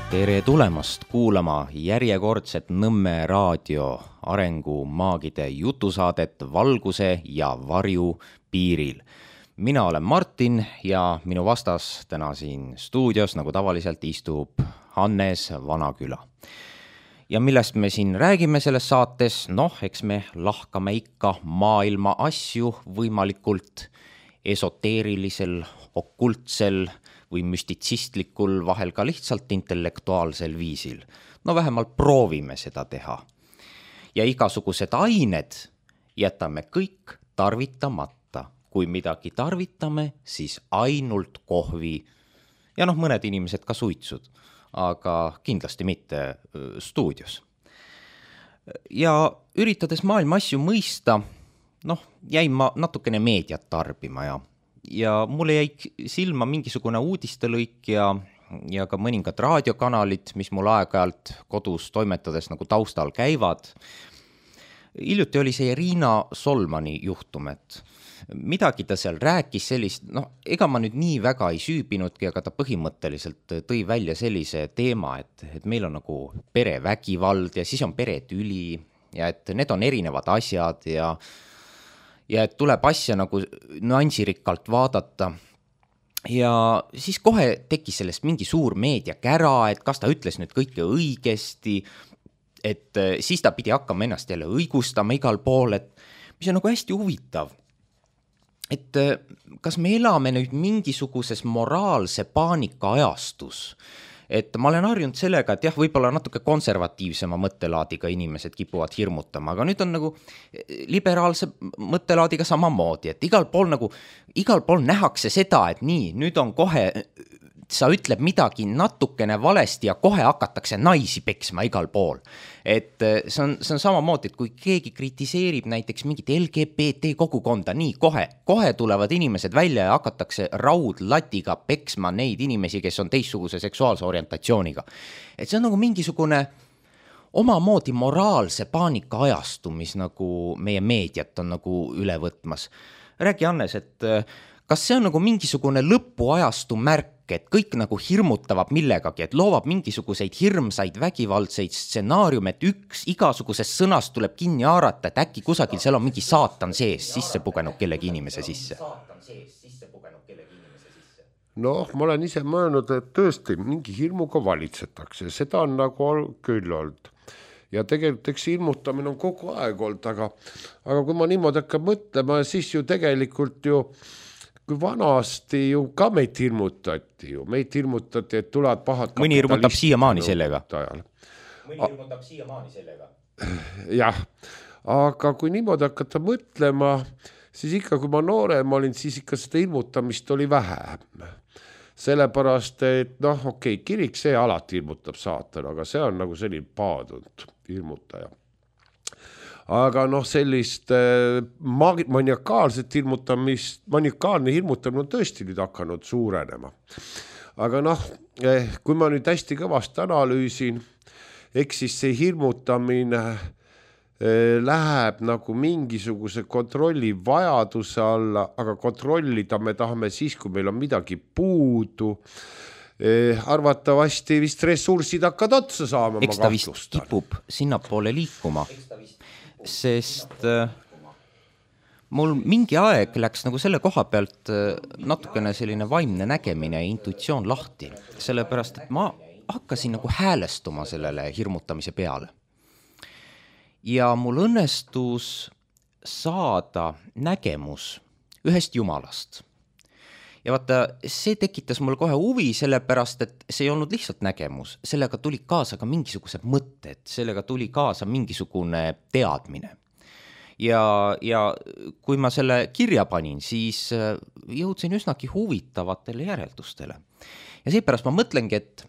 Tere tulemast kuulama järjekordset Nõmme raadio arengumaagide jutusaadet Valguse ja varju piiril. Mina olen Martin ja minu vastas täna siin stuudios, nagu tavaliselt, istub Hannes Vanaküla. Ja millest me siin räägime selles saates? Eks me lahkame ikka maailma asju võimalikult esoteerilisel, okultsel või müstitsistlikul, vahel ka lihtsalt intellektuaalsel viisil. Vähemalt proovime seda teha. Ja igasugused ained jätame kõik tarvitamata. Kui midagi tarvitame, siis ainult kohvi ja mõned inimesed ka suitsud, aga kindlasti mitte stuudios. Ja üritades maailma asju mõista, jäin ma natukene meediat tarbima ja mulle jäi silma mingisugune uudistelõik ja ka mõningad raadiokanalid, mis mul aeg-ajalt kodus toimetades nagu taustal käivad. Hiljuti oli see Riina Solmani juhtum, et midagi ta seal rääkis sellist, ega ma nüüd nii väga ei süübinudki, aga ta põhimõtteliselt tõi välja sellise teema, et meil on nagu perevägivald ja siis on peretüli ja et need on erinevad asjad ja et tuleb asja nagu nüansirikkalt vaadata. Ja siis kohe tekkis sellest mingi suur meediakära, et kas ta ütles nüüd kõike õigesti, et siis ta pidi hakkama ennast jälle õigustama igal pool, et mis on nagu hästi huvitav. Et kas me elame nüüd mingisuguses moraalse paanika ajastus? Et ma olen harjunud sellega, et võib-olla natuke konservatiivsema mõttelaadiga inimesed kipuvad hirmutama, aga nüüd on nagu liberaalse mõttelaadiga samamoodi, et igal pool nähakse seda, et nii, nüüd on kohe, sa ütleb midagi natukene valesti ja kohe hakatakse naisi peksma igal pool. Et see on samamoodi, et kui keegi kritiseerib näiteks mingit LGBT kogukonda, nii kohe tulevad inimesed välja ja hakatakse raudlatiga peksma neid inimesi, kes on teistsuguse seksuaalse orientatsiooniga. Et see on nagu mingisugune omamoodi moraalse paanika ajastu, mis nagu meie meediat on nagu üle võtmas. Räägi, Hannes, et kas see on nagu mingisugune lõpuajastu märk, et kõik nagu hirmutavad millegagi, et loovad mingisuguseid hirmsaid vägivaldseid stsenaariume, et igasugusest sõnast tuleb kinni haarata, et äkki kusagil seal on mingi saatan sees sisse pugenud kellegi inimese sisse? Ma olen ise mõelnud, et tõesti mingi hirmuga valitsetakse, seda on nagu küll olnud. Ja tegelikult eks hirmutamine on kogu aeg olnud, aga kui ma niimoodi hakkan mõtlema, siis ju tegelikult kui vanasti ju ka meid hirmutati, et tulevad pahad kapitalistid. Mõni hirmutab siiamaani sellega. Jah, aga kui niimoodi hakata mõtlema, siis ikka kui ma noorem olin, siis ikka seda hirmutamist oli vähem. Sellepärast, et kirik see alati hirmutab saatan, aga see on nagu selline paadunud hirmutaja. Aga sellist maniakaalset hirmutamist, maniakaalne hirmutamine on tõesti nüüd hakanud suurenema. Aga kui ma nüüd hästi kõvasti analüüsin, eks siis see hirmutamine läheb nagu mingisuguse kontrolli vajaduse alla, aga kontrollida me tahame siis, kui meil on midagi puudu. Arvatavasti vist ressursid hakkad otsa saama. Eks ta vist kipub sinnapoole liikuma. Sest mul mingi aeg läks nagu selle koha pealt natukene selline vaimne nägemine ja intuitsioon lahti, sellepärast, et ma hakkasin nagu häälestuma sellele hirmutamise peale. Ja mul õnnestus saada nägemus ühest jumalast. Ja vaata, see tekitas mul kohe huvi, sellepärast, et see ei olnud lihtsalt nägemus. Sellega tuli kaasa ka mingisugused mõtted, sellega tuli kaasa mingisugune teadmine. Ja kui ma selle kirja panin, siis jõudsin üsnagi huvitavatele järeldustele. Ja seepärast ma mõtlengi, et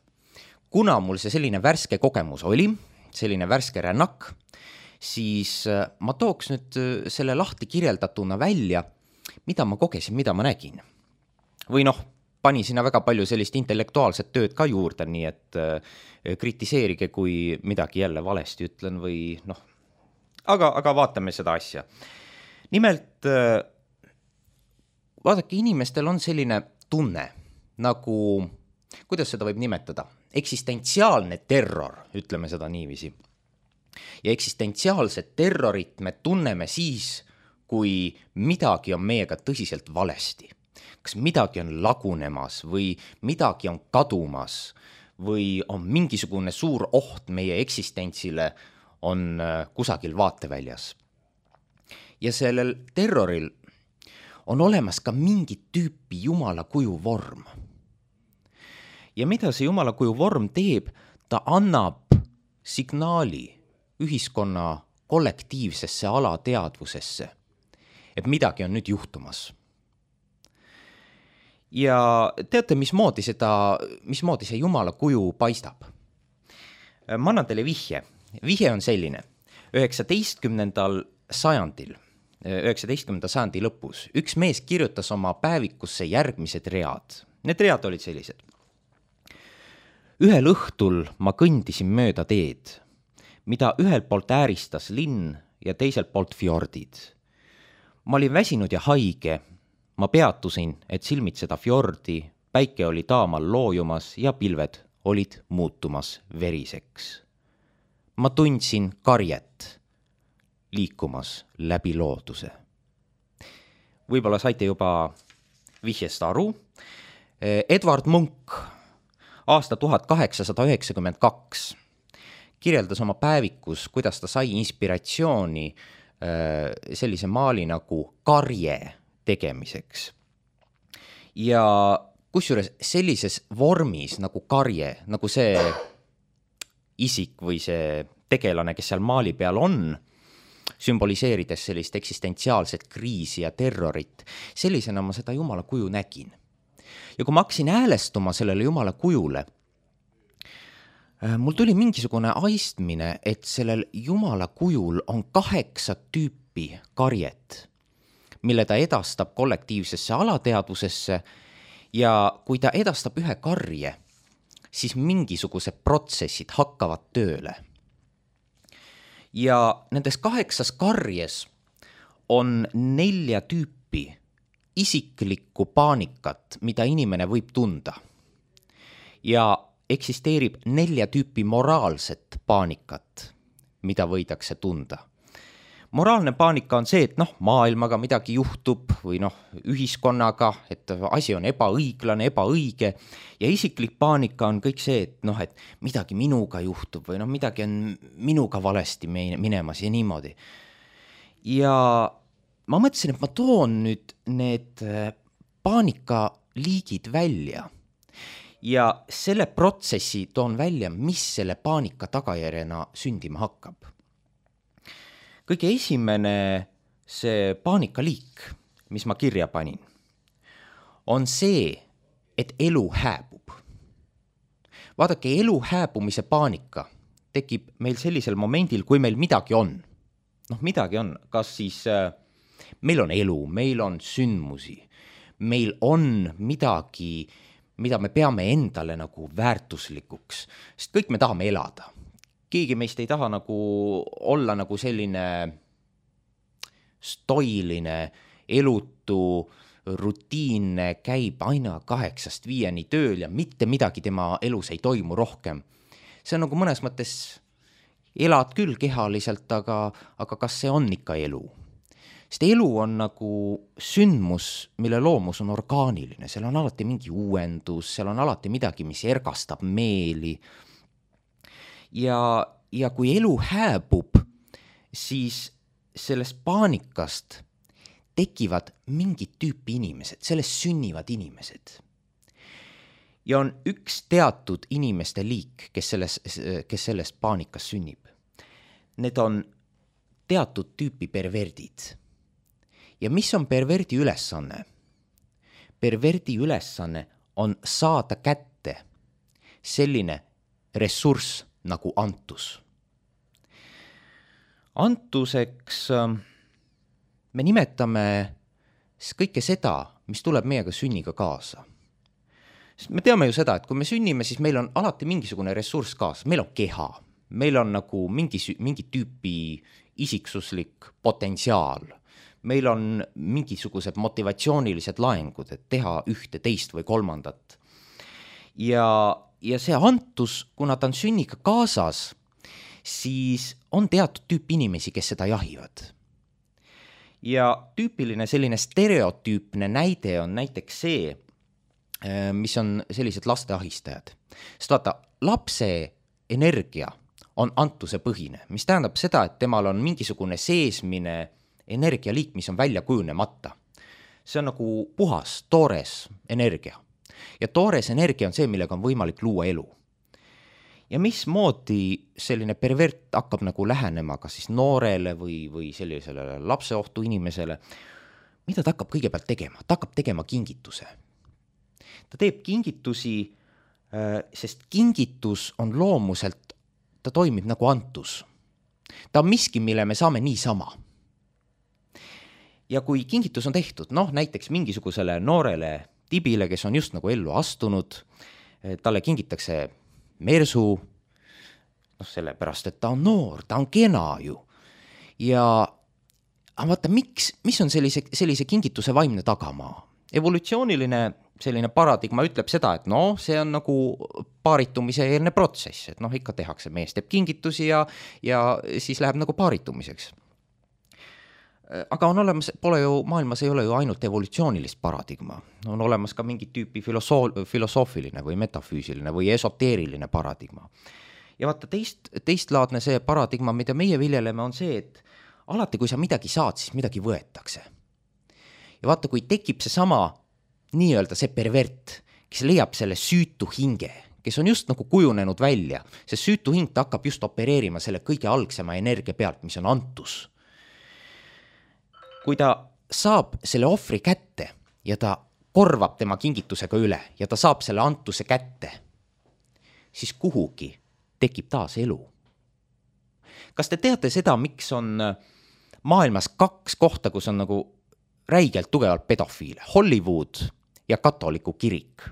kuna mul see selline värske kogemus oli, selline värske rännak, siis ma tooks nüüd selle lahti kirjeldatuna välja, mida ma kogesin, mida ma nägin. Või pani sinna väga palju sellist intellektuaalset tööd ka juurde, nii et kritiseerige, kui midagi jälle valesti ütlen või aga vaatame seda asja. Nimelt, vaadake, inimestel on selline tunne, nagu, kuidas seda võib nimetada, eksistentsiaalne terror, ütleme seda niiviisi. Ja eksistentsiaalset terrorit me tunneme siis, kui midagi on meiega tõsiselt valesti. Kas midagi on lagunemas või midagi on kadumas või on mingisugune suur oht meie eksistentsile on kusagil vaateväljas. Ja sellel terroril on olemas ka mingit tüüpi jumala kuju vorm. Ja mida see jumala kuju vorm teeb? Ta annab signaali ühiskonna kollektiivsesse alateadvusesse, et midagi on nüüd juhtumas. Ja teate, mismoodi see jumala kuju paistab? Ma annan teile vihje. Vihje on selline. 19. sajandi lõpus üks mees kirjutas oma päevikusse järgmised read. Need read olid sellised. Ühel õhtul ma kõndisin mööda teed, mida ühelt poolt ääristas linn ja teiselt poolt fjordid. Ma olin väsinud ja haige. Ma peatusin, et silmitseda fjordi, päike oli taamal loojumas ja pilved olid muutumas veriseks. Ma tundsin karjet liikumas läbi looduse. Võib-olla saite juba vihjest aru. Edward Munch aasta 1892 kirjeldas oma päevikus, kuidas ta sai inspiratsiooni sellise maali nagu karje tegemiseks. Ja kusjuures sellises vormis nagu karje, nagu see isik või see tegelane, kes seal maali peal on, sümboliseerides sellist eksistentsiaalset kriisi ja terrorit, sellisena ma seda jumala kuju nägin. Ja kui ma hakkasin häälestuma sellele jumala kujule, mul tuli mingisugune aistmine, et sellel jumala kujul on 8 tüüpi karjet, mille ta edastab kollektiivsesse alateadvusesse ja kui ta edastab ühe karje, siis mingisugused protsessid hakkavad tööle. Ja nendes 8 karjes on 4 tüüpi isiklikku paanikat, mida inimene võib tunda. Ja eksisteerib 4 tüüpi moraalset paanikat, mida võidakse tunda. Moraalne paanika on see, et maailmaga midagi juhtub või ühiskonnaga, et asi on ebaõiglane, ebaõige. Ja isiklik paanika on kõik see, et midagi minuga juhtub või midagi on minuga valesti minemas ja niimoodi. Ja ma mõtlesin, et ma toon nüüd need paanikaliigid välja ja selle protsessi toon välja, mis selle paanika tagajärjena sündima hakkab. Kõige esimene see paanikaliik, mis ma kirja panin, on see, et elu hääbub. Vaadake, elu hääbumise paanika tekib meil sellisel momendil, kui meil midagi on. Midagi on, kas siis meil on elu, meil on sündmusi, meil on midagi, mida me peame endale nagu väärtuslikuks, sest kõik me tahame elada. Keegi meist ei taha olla selline stoiline, elutu, rutiinne, käib aina 8-5 tööl ja mitte midagi tema elus ei toimu rohkem. See on mõnes mõttes, elad küll kehaliselt, aga kas see on ikka elu? Sest elu on sündmus, mille loomus on orgaaniline, seal on alati mingi uuendus, seal on alati midagi, mis ergastab meeli. Ja kui elu hääbub, siis sellest paanikast tekivad mingid tüüpi inimesed, sellest sünnivad inimesed. Ja on üks teatud inimeste liik, kes sellest paanikast sünnib. Need on teatud tüüpi perverdid. Ja mis on perverdi ülesanne? Perverdi ülesanne on saada kätte selline ressurss nagu antus. Antuseks me nimetame kõike seda, mis tuleb meiega sünniga kaasa. Sest me teame ju seda, et kui me sünnime, siis meil on alati mingisugune ressurss kaasa. Meil on keha, meil on mingi tüüpi isiksuslik potentsiaal. Meil on mingisugused motivatsioonilised laengud, et teha ühte, teist või kolmandat. Ja ja see antus, kuna ta on sünniga kaasas, siis on teatud tüüp inimesi, kes seda jahivad. Ja tüüpiline selline stereotüüpne näide on näiteks see, mis on sellised laste ahistajad. Sest vaata, lapse energia on antuse põhine, mis tähendab seda, et temal on mingisugune seesmine energialiik, mis on välja kujunemata. See on nagu puhas, toores energia. Ja toores energia on see, millega on võimalik luua elu. Ja mismoodi selline pervert hakkab nagu lähenema ka siis noorele või sellisele lapseohtu inimesele, mida ta hakkab kõigepealt tegema? Ta hakkab tegema kingituse. Ta teeb kingitusi, sest kingitus on loomuselt, ta toimib nagu antus. Ta on miski, mille me saame niisama. Ja kui kingitus on tehtud, näiteks mingisugusele noorele tibile, kes on just nagu ellu astunud, talle kingitakse mersu, sellepärast, et ta on noor, ta on kena ju. Ja vaata, mis on sellise kingituse vaimne tagamaa? Evolutsiooniline selline paradigma ütleb seda, et see on nagu paaritumise eelne protsess, et ikka tehakse, mees teeb kingitusi ja siis läheb nagu paaritumiseks. Aga on olemas, maailmas ei ole ju ainult evolutsioonilist paradigma, on olemas ka mingit tüüpi filosoofiline või metafüüsiline või esoteeriline paradigma. Ja vaata, teistlaadne see paradigma, mida meie viljeleme, on see, et alati, kui sa midagi saad, siis midagi võetakse. Ja vaata, kui tekib see sama nii-öelda see pervert, kes leiab selle süütu hinge, kes on just nagu kujunenud välja, see süütu hing ta hakkab just opereerima selle kõige algsema energia pealt, mis on antus. Kui ta saab selle ohvri kätte ja ta korvab tema kingitusega üle ja ta saab selle antuse kätte, siis kuhugi tekib taas elu. Kas te teate seda, miks on maailmas 2 kohta, kus on nagu räigelt tugevalt pedofiile? Hollywood ja katoliku kirik.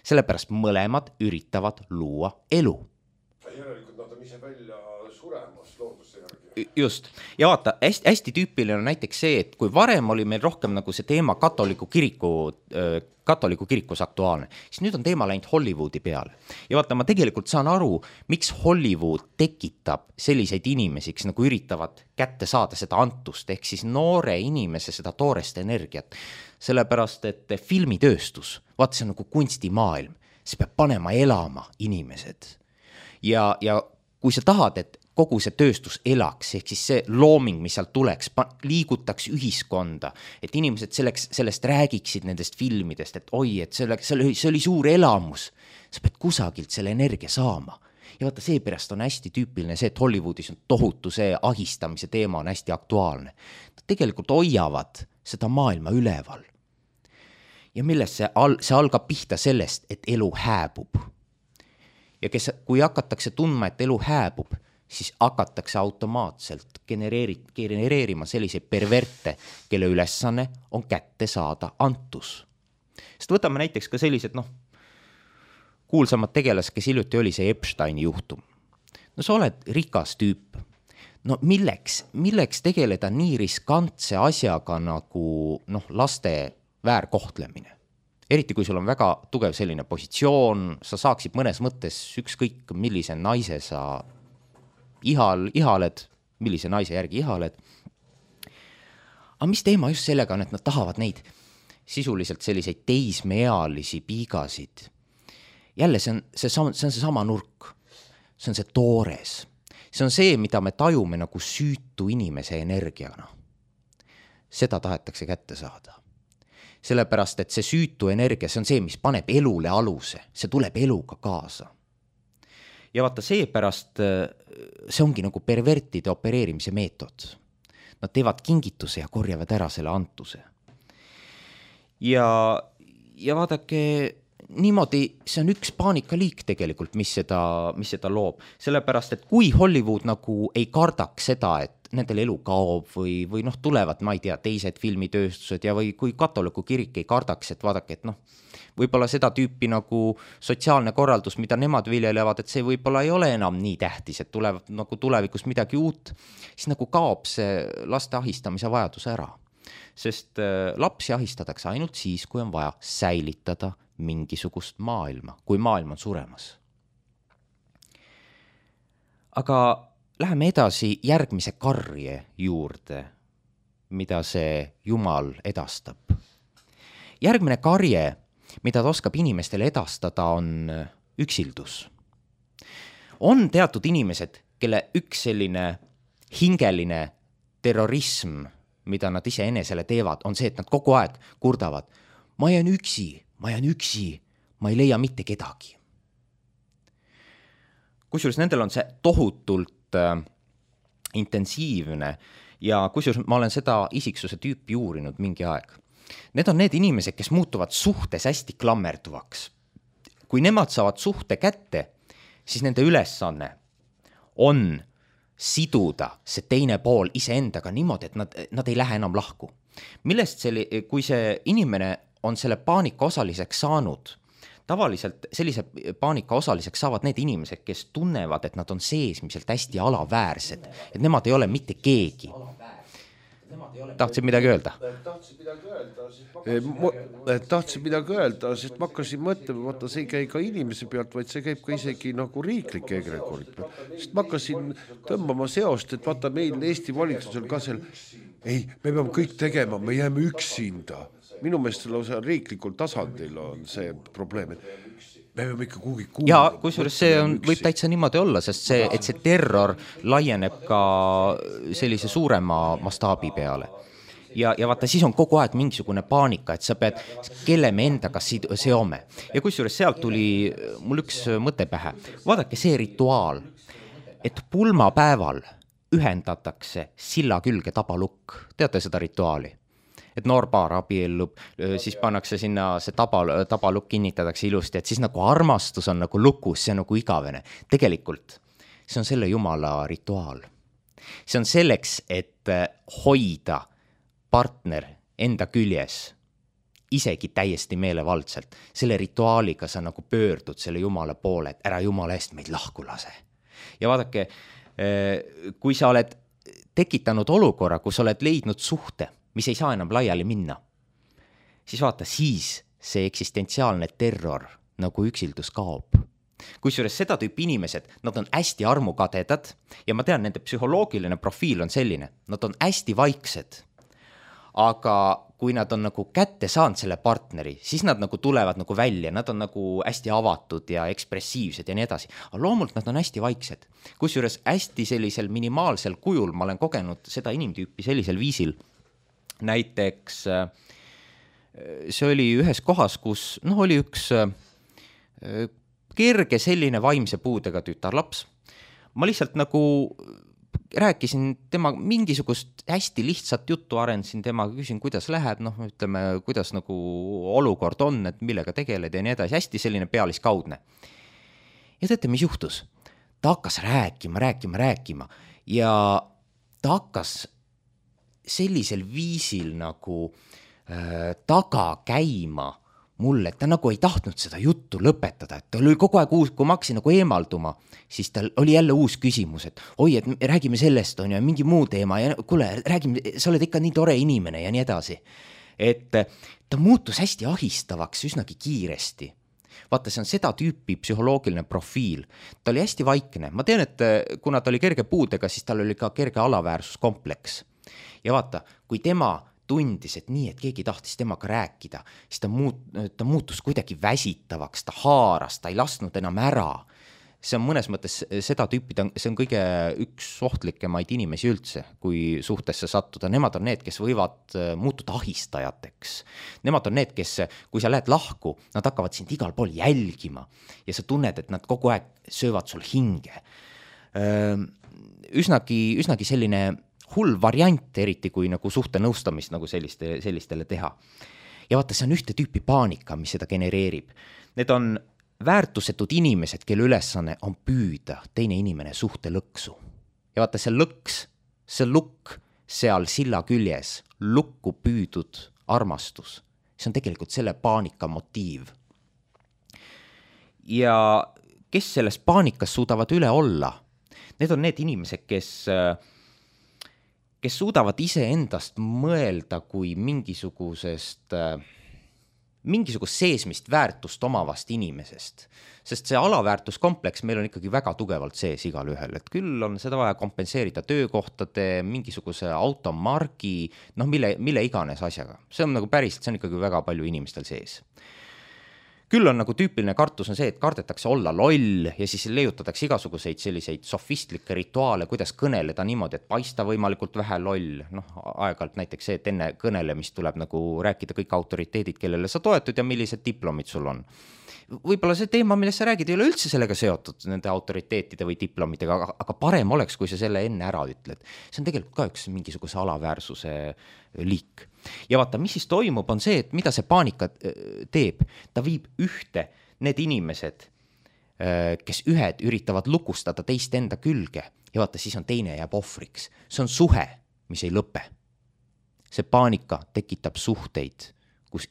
Sellepärast mõlemad üritavad luua elu. Järelikult nad on ise välja suremas looduse järgi. Just. Ja vaata, hästi tüüpiline on näiteks see, et kui varem oli meil rohkem nagu see teema katoliku kirikus aktuaalne, siis nüüd on teema läinud Hollywoodi peale. Ja vaata, ma tegelikult saan aru, miks Hollywood tekitab selliseid inimesi, kes nagu üritavad kätte saada seda antust, ehk siis noore inimese seda toorest energiat. Sellepärast, et filmitööstus, vaata, see on nagu kunstimaailm, see peab panema elama inimesed. Ja kui sa tahad, et kogu see tööstus elaks, ehk siis see looming, mis sealt tuleks, liigutaks ühiskonda, et inimesed sellest räägiksid nendest filmidest, et oi, et see oli suur elamus. Sa pead kusagilt selle energia saama. Ja vaata, seepärast on hästi tüüpiline see, et Hollywoodis on tohutu see ahistamise teema on hästi aktuaalne. Tegelikult hoiavad seda maailma üleval. Ja millest see algab pihta sellest, et elu hääbub. Ja kui hakatakse tundma, et elu hääbub, siis hakatakse automaatselt genereerima selliseid perverte, kelle ülesanne on kätte saada antus. Sest võtame näiteks ka sellised, kuulsamad tegelased, kes hiljuti oli see Epsteini juhtum. Sa oled rikas tüüp. Milleks tegeleda nii riskantse asjaga nagu laste väärkohtlemine? Eriti kui sul on väga tugev selline positsioon, sa saaksid mõnes mõttes ükskõik millise naise sa ihaled, millise naise järgi ihaled. Aga mis teema just sellega on, et nad tahavad neid sisuliselt selliseid teismeealisi piigasid? Jälle, see on seesama nurk. See on see toores. See on see, mida me tajume nagu süütu inimese energiana. Seda tahetakse kätte saada. Sellepärast, et see süütu energia, see on see, mis paneb elule aluse. See tuleb eluga kaasa. Ja vaata, seepärast see ongi nagu pervertide opereerimise meetod. Nad teevad kingituse ja korjavad ära selle antuse. Ja vaadake, niimoodi, see on üks paanikaliik tegelikult, mis seda loob. Sellepärast, et kui Hollywood nagu ei kardaks seda, et nendel elu kaob või tulevad, ma ei tea, teised filmitööstused ja või kui katoliku kirik ei kardaks, et vaadake, et võib-olla seda tüüpi nagu sotsiaalne korraldus, mida nemad viljelevad, et see võib-olla ei ole enam nii tähtis, et tulevad nagu tulevikus midagi uut, siis nagu kaob see laste ahistamise vajadus ära. Sest lapsi ahistatakse ainult siis, kui on vaja säilitada mingisugust maailma, kui maailm on suremas. aga läheme edasi järgmise karje juurde, mida see Jumal edastab. Järgmine karje, mida ta oskab inimestele edastada, on üksildus. On teatud inimesed, kelle üks selline hingeline terrorism, mida nad ise enesele teevad, on see, et nad kogu aeg kurdavad, ma jään üksi, ma ei leia mitte kedagi. Kusjuures nendel on see tohutult intensiivne ja kusjuures ma olen seda isiksuse tüüpi uurinud mingi aeg. Need on need inimesed, kes muutuvad suhtes hästi klammerduvaks. Kui nemad saavad suhte kätte, siis nende ülesanne on siduda see teine pool iseendaga niimoodi, et nad ei lähe enam lahku. Millest kui see inimene on selle paanika osaliseks saanud, tavaliselt sellise paanika osaliseks saavad need inimesed, kes tunnevad, et nad on seesmiselt hästi alaväärsed, et nemad ei ole mitte keegi. Tahtsid midagi öelda? Tahtsin midagi öelda, sest ma hakkasin mõtlema, vaata, see ei käi ka inimese pealt, vaid see käib ka isegi nagu riiklike egregorid pealt. Sest ma hakkasin tõmbama seost, et vaata meil Eesti valitsusel ka seal, ei, me peame kõik tegema, me jääme üksinda. Minu meelest riiklikul tasandil on see probleem, et me peame ikka kuhugi kuulda. Ja kusjuures see võib täitsa niimoodi olla, sest et see terror laieneb ka sellise suurema mastaabi peale. Ja vaata, siis on kogu aeg mingisugune paanika, et sa pead, kelle me endaga seome. Ja kusjuures sealt tuli mul üks mõte pähe. Vaadake see rituaal, et pulmapäeval ühendatakse silla külge tabalukk. Teate seda rituaali? Et noor paar abiellub, siis pannakse sinna see tabalukk kinnitatakse ilusti, et siis nagu armastus on nagu lukus, see on nagu igavene. Tegelikult see on selle Jumala rituaal. See on selleks, et hoida partner enda küljes, isegi täiesti meelevaldselt. Selle rituaaliga sa nagu pöördud selle Jumala poole, et ära Jumala eest meid lahku lase. Ja vaadake, kui sa oled tekitanud olukorra, kus oled leidnud suhte, mis ei saa enam laiali minna, siis vaata, siis see eksistentsiaalne terror nagu üksildus kaob. Kusjuures seda tüüpi inimesed, nad on hästi armukadedad ja ma tean, nende psühholoogiline profiil on selline, nad on hästi vaiksed, aga kui nad on nagu kätte saanud selle partneri, siis nad nagu tulevad nagu välja, nad on nagu hästi avatud ja ekspressiivsed ja nii edasi. Aga loomult nad on hästi vaiksed. Kusjuures hästi sellisel minimaalsel kujul ma olen kogenud seda inimtüüpi sellisel viisil. Näiteks see oli ühes kohas, kus oli üks kerge selline vaimse puudega tütarlaps. Ma lihtsalt nagu rääkisin tema mingisugust hästi lihtsat juttu, arendasin temaga, küsin, kuidas läheb, ütleme, kuidas nagu olukord on, et millega tegeled ja nii edasi, hästi selline pealiskaudne. Ja teate, mis juhtus? Ta hakkas rääkima ja ta hakkas sellisel viisil nagu taga käima mulle, et ta nagu ei tahtnud seda juttu lõpetada, et ta oli kogu aeg uus, kui ma hakkasin nagu eemalduma, siis tal oli jälle uus küsimus, et oi, et räägime sellest, on ja mingi muu teema ja kuule, räägime, sa oled ikka nii tore inimene ja nii edasi. Et ta muutus hästi ahistavaks üsnagi kiiresti. Vaata, see on seda tüüpi psühholoogiline profiil. Ta oli hästi vaikne. Ma tean, et kuna ta oli kerge puudega, siis tal oli ka kerge alaväärsuskompleks. Ja vaata, kui tema tundis, et nii, et keegi tahtis temaga rääkida, siis ta muutus kuidagi väsitavaks, ta haaras, ta ei lasknud enam ära. See on mõnes mõttes seda tüüpi, see on kõige üks ohtlikemaid inimesi üldse, kui suhtesse sattuda. Nemad on need, kes võivad muutuda ahistajateks. Nemad on need, kes, kui sa lähed lahku, nad hakkavad sind igal pool jälgima ja sa tunned, et nad kogu aeg söövad sul hinge. Üsnagi selline hull variant, eriti kui nagu suhte nõustamist nagu sellistele teha. Ja vaata, see on ühte tüüpi paanika, mis seda genereerib. Need on väärtusetud inimesed, kelle ülesanne on püüda teine inimene suhte lõksu. Ja vaata, see lõks, see lukk seal silla küljes, lukku püüdud armastus. See on tegelikult selle paanika motiiv. Ja kes selles paanikas suudavad üle olla? Need on need inimesed, kes suudavad ise endast mõelda kui mingisugusest mingisugust seesmist väärtust omavast inimesest. Sest see alaväärtuskompleks meil on ikkagi väga tugevalt sees igal ühel, et küll on seda vaja kompenseerida töökohtade, mingisuguse automargi, mille iganes asjaga. See on nagu päriselt, see on ikkagi väga palju inimestel sees. Küll on nagu tüüpiline kartus on see, et kardetakse olla loll ja siis leiutatakse igasuguseid selliseid sofistlikke rituaale, kuidas kõneleda niimoodi, et paista võimalikult vähe loll. Aeg-ajalt näiteks see, et enne kõnelemist tuleb nagu rääkida kõik autoriteedid, kellele sa toetud ja millised diplomid sul on. Võib-olla see teema, millest sa räägid, ei ole üldse sellega seotud nende autoriteetide või diplomitega, aga parem oleks, kui sa selle enne ära ütled. See on tegelikult ka üks mingisuguse alaväärsuse liik. Ja vaata, mis siis toimub, on see, et mida see paanika teeb. Ta viib ühte need inimesed, kes ühed üritavad lukustada teist enda külge ja vaata, siis on teine jääb ohvriks. See on suhe, mis ei lõpe. See paanika tekitab suhteid, kus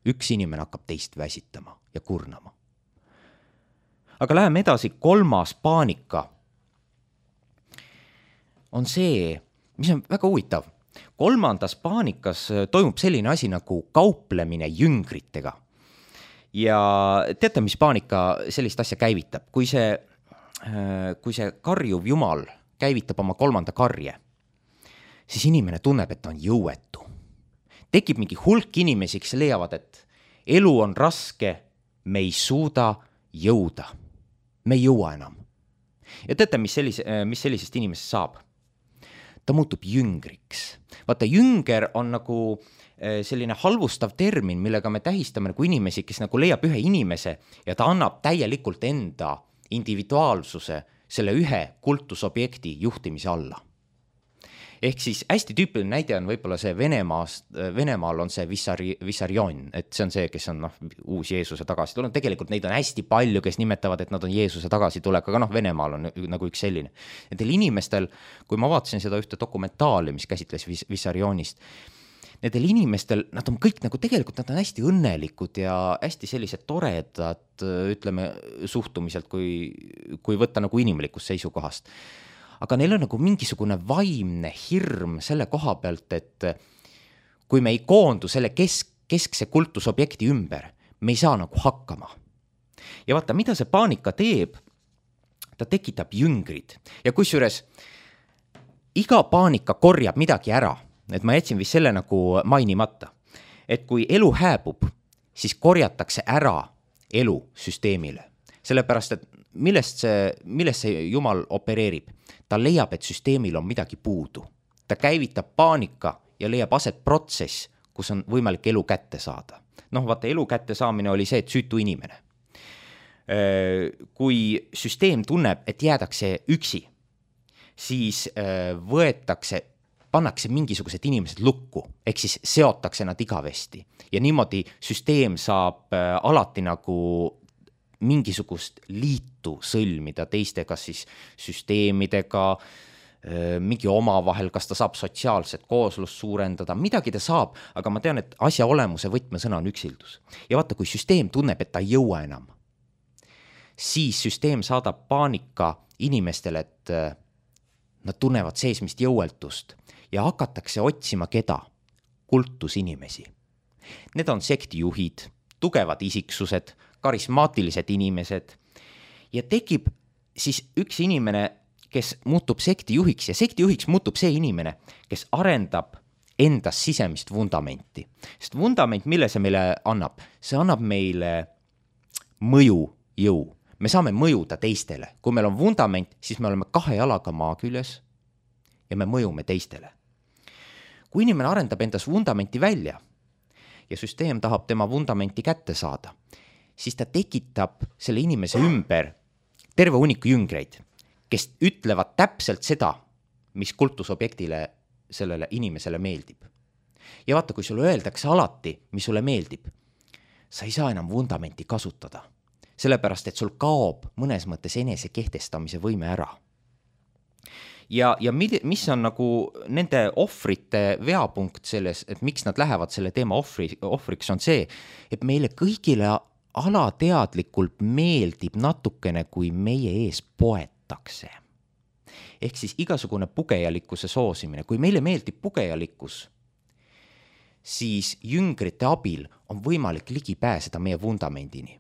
üks inimene hakkab teist väsitama ja kurnama. Aga läheme edasi, 3. paanika on see, mis on väga huvitav. 3. paanikas toimub selline asi nagu kauplemine jüngritega. Ja teate, mis paanika sellist asja käivitab? Kui see karjuv jumal käivitab oma 3. karje, siis inimene tunneb, et ta on jõuetu. Tekib mingi hulk inimesi, kes leiavad, et elu on raske, me ei suuda jõuda. Me ei jõua enam. Ja teate, mis sellisest inimesest saab? Ta muutub jüngriks. Vaata, jünger on nagu selline halvustav termin, millega me tähistame nagu inimesi, kes nagu leiab ühe inimese ja ta annab täielikult enda individuaalsuse selle ühe kultusobjekti juhtimise alla. Ehk siis hästi tüüpiline näide on võib-olla see Venemaal on see Vissarion, et see on see, kes on uus Jeesuse tagasi tulnud. Tegelikult neid on hästi palju, kes nimetavad, et nad on Jeesuse tagasi tulek, aga Venemaal on nagu üks selline. Nendel inimestel, kui ma vaatasin seda ühte dokumentaali, mis käsitles Vissarionist, nendel inimestel, nad on kõik nagu tegelikult, nad on hästi õnnelikud ja hästi sellised toredad, ütleme, suhtumiselt, kui võtta nagu inimlikust seisukohast. Aga neil on nagu mingisugune vaimne hirm selle koha pealt, et kui me ei koondu selle keskse kultusobjekti ümber, me ei saa nagu hakkama. Ja vaata, mida see paanika teeb, ta tekitab jüngrid. Ja kusjuures iga paanika korjab midagi ära, et ma jätsin vist selle nagu mainimata, et kui elu hääbub, siis korjatakse ära elu süsteemile. Sellepärast, et millest see Jumal opereerib? Ta leiab, et süsteemil on midagi puudu. Ta käivitab paanika ja leiab aset protsess, kus on võimalik elu kätte saada. Vaata, elu kätte saamine oli see, et süütu inimene. Kui süsteem tunneb, et jäädakse üksi, siis pannakse mingisugused inimesed lukku, ehk siis seotakse nad igavesti. Ja niimoodi süsteem saab alati nagu mingisugust liitu sõlmida teiste, kas siis süsteemidega, mingi omavahel, kas ta saab sotsiaalset kooslust suurendada, midagi ta saab, aga ma tean, et asja olemuse võtmesõna on üksildus. Ja vaata, kui süsteem tunneb, et ta ei jõua enam, siis süsteem saadab paanika inimestele, et nad tunnevad seesmist jõueltust ja hakatakse otsima keda? Kultusinimesi. Need on sektijuhid, tugevad isiksused, karismaatilised inimesed ja tekib siis üks inimene, kes muutub sektijuhiks ja sektijuhiks muutub see inimene, kes arendab endas sisemist vundamenti. Sest vundament, mille see meile annab? See annab meile mõjujõu. Me saame mõjuda teistele. Kui meil on vundament, siis me oleme 2 jalaga maa küljes ja me mõjume teistele. Kui inimene arendab endas vundamenti välja ja süsteem tahab tema vundamenti kätte saada, siis ta tekitab selle inimese ümber terve hunniku jüngreid, kes ütlevad täpselt seda, mis kultusobjektile sellele inimesele meeldib. Ja vaata, kui sulle öeldakse alati, mis sulle meeldib, sa ei saa enam vundamenti kasutada, sellepärast, et sul kaob mõnes mõttes enese kehtestamise võime ära. Ja mis on nagu nende ohvrite veapunkt selles, et miks nad lähevad selle teema ohvriks, on see, et meile kõigile alateadlikult meeldib natukene, kui meie ees poetakse. Ehk siis igasugune pugejalikkuse soosimine. Kui meile meeldib pugejalikkus, siis jüngrite abil on võimalik ligi pääseda meie vundamendini.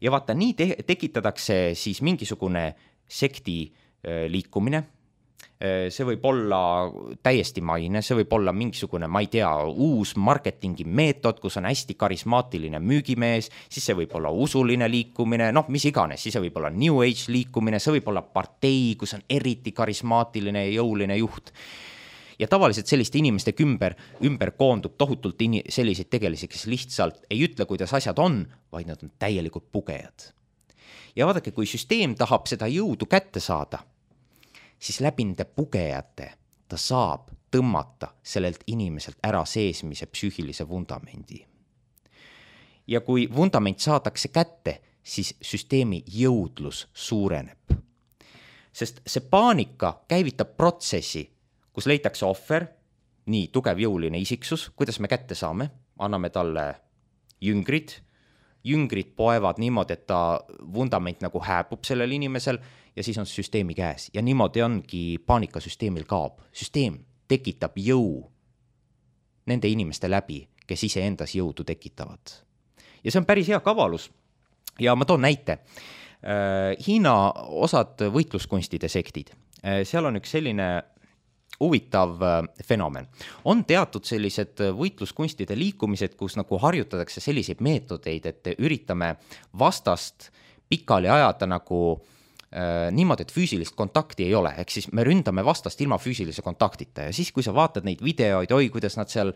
Ja vaata, nii tekitatakse siis mingisugune sekti liikumine. See võib olla täiesti maine, see võib olla mingisugune, ma ei tea, uus marketingi meetod, kus on hästi karismaatiline müügimees, siis see võib olla usuline liikumine, noh, mis iganes, siis see võib olla New Age liikumine, see võib olla partei, kus on eriti karismaatiline ja jõuline juht. Ja tavaliselt selliste inimeste ümber koondub tohutult selliseid tegelisi, kes lihtsalt ei ütle, kuidas asjad on, vaid nad on täielikult pugejad. Ja vaadake, kui süsteem tahab seda jõudu kätte saada, siis läbi nende pugejate ta saab tõmmata sellelt inimeselt ära seesmise psüühilise vundamendi. Ja kui vundament saadakse kätte, siis süsteemi jõudlus suureneb. Sest see paanika käivitab protsessi, kus leitakse ohver, nii tugev jõuline isiksus, kuidas me kätte saame, anname talle jüngrid poevad niimoodi, et ta vundament nagu hääbub sellel inimesel ja siis on süsteemi käes. Ja niimoodi ongi paanikasüsteemil kaob. Süsteem tekitab jõu nende inimeste läbi, kes ise endas jõudu tekitavad. Ja see on päris hea kavalus. Ja ma toon näite. Hiina osad võitluskunstide sektid. Seal on üks selline huvitav fenomen. On teatud sellised võitluskunstide liikumised, kus nagu harjutatakse selliseid meetodeid, et üritame vastast pikali ajada nagu niimoodi, et füüsilist kontakti ei ole. Ehk siis me ründame vastast ilma füüsilise kontaktita ja siis, kui sa vaatad neid videoid, kuidas nad seal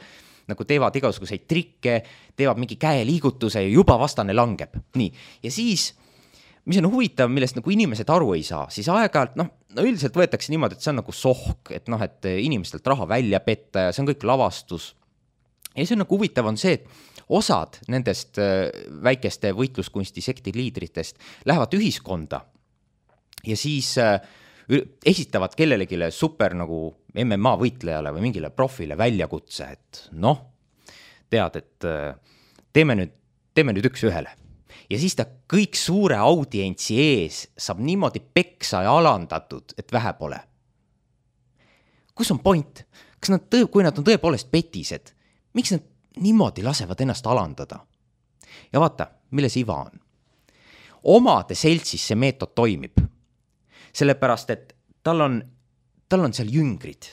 nagu teevad igasuguseid trikke, teevad mingi käeliigutuse ja juba vastane langeb. Nii. Ja siis mis on huvitav, millest nagu inimesed aru ei saa, siis aeg-ajalt, üldiselt võetakse niimoodi, et see on nagu sohk, et inimestelt raha välja petta ja see on kõik lavastus. Ja see on nagu huvitav on see, et osad nendest väikeste võitluskunsti sekti liidritest lähevad ühiskonda ja siis esitavad kellelegi super nagu MMA võitlejale või mingile profile väljakutse, et tead, et teeme nüüd üks ühele. Ja siis ta kõik suure audientsi ees saab niimoodi peksa ja alandatud, et vähe pole. Kus on point? Kui nad on tõepoolest petised, miks nad niimoodi lasevad ennast alandada? Ja vaata, milles iva on. Omade seltsis see meetod toimib. Sellepärast, et tal on seal jüngrid.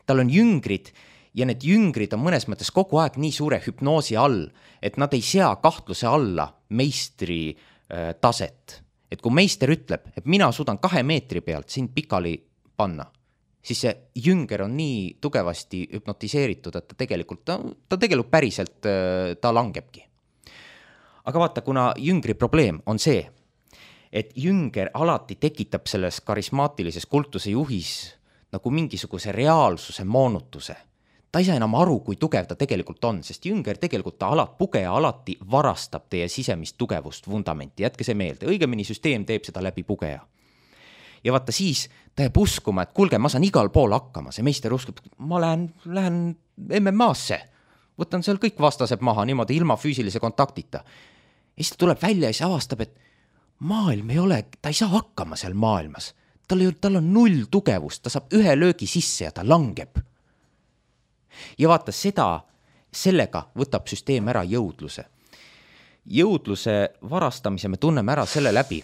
Tal on jüngrid ja need jüngrid on mõnes mõttes kogu aeg nii suure hüpnoosi all, et nad ei sea kahtluse alla meistri taset. Et kui meister ütleb, et mina suudan 2 meetri pealt sind pikali panna, siis see jünger on nii tugevasti hüpnotiseeritud, et ta tegelikult päriselt ta langebki. Aga vaata, kuna jüngri probleem on see, et jünger alati tekitab selles karismaatilises kultuse juhis nagu mingisuguse reaalsuse moonutuse. Ta ei saa enam aru, kui tugev ta tegelikult on, sest jünger tegelikult pugeja alati varastab teie sisemist tugevust vundamenti. Jätke see meelde, õigemini süsteem teeb seda läbi pugeja. Ja vaata siis ta jääb uskuma, et kuulge, ma saan igal pool hakkama. See meister uskub, ma lähen MMA-sse, võtan seal kõik vastased maha niimoodi ilma füüsilise kontaktita. Ja siis ta tuleb välja ja siis avastab, et maailm ei ole, ta ei saa hakkama seal maailmas. Tal on 0 tugevust, ta saab 1 löögi sisse ja ta langeb. Ja vaata sellega võtab süsteem ära jõudluse. Jõudluse varastamise me tunneme ära selle läbi,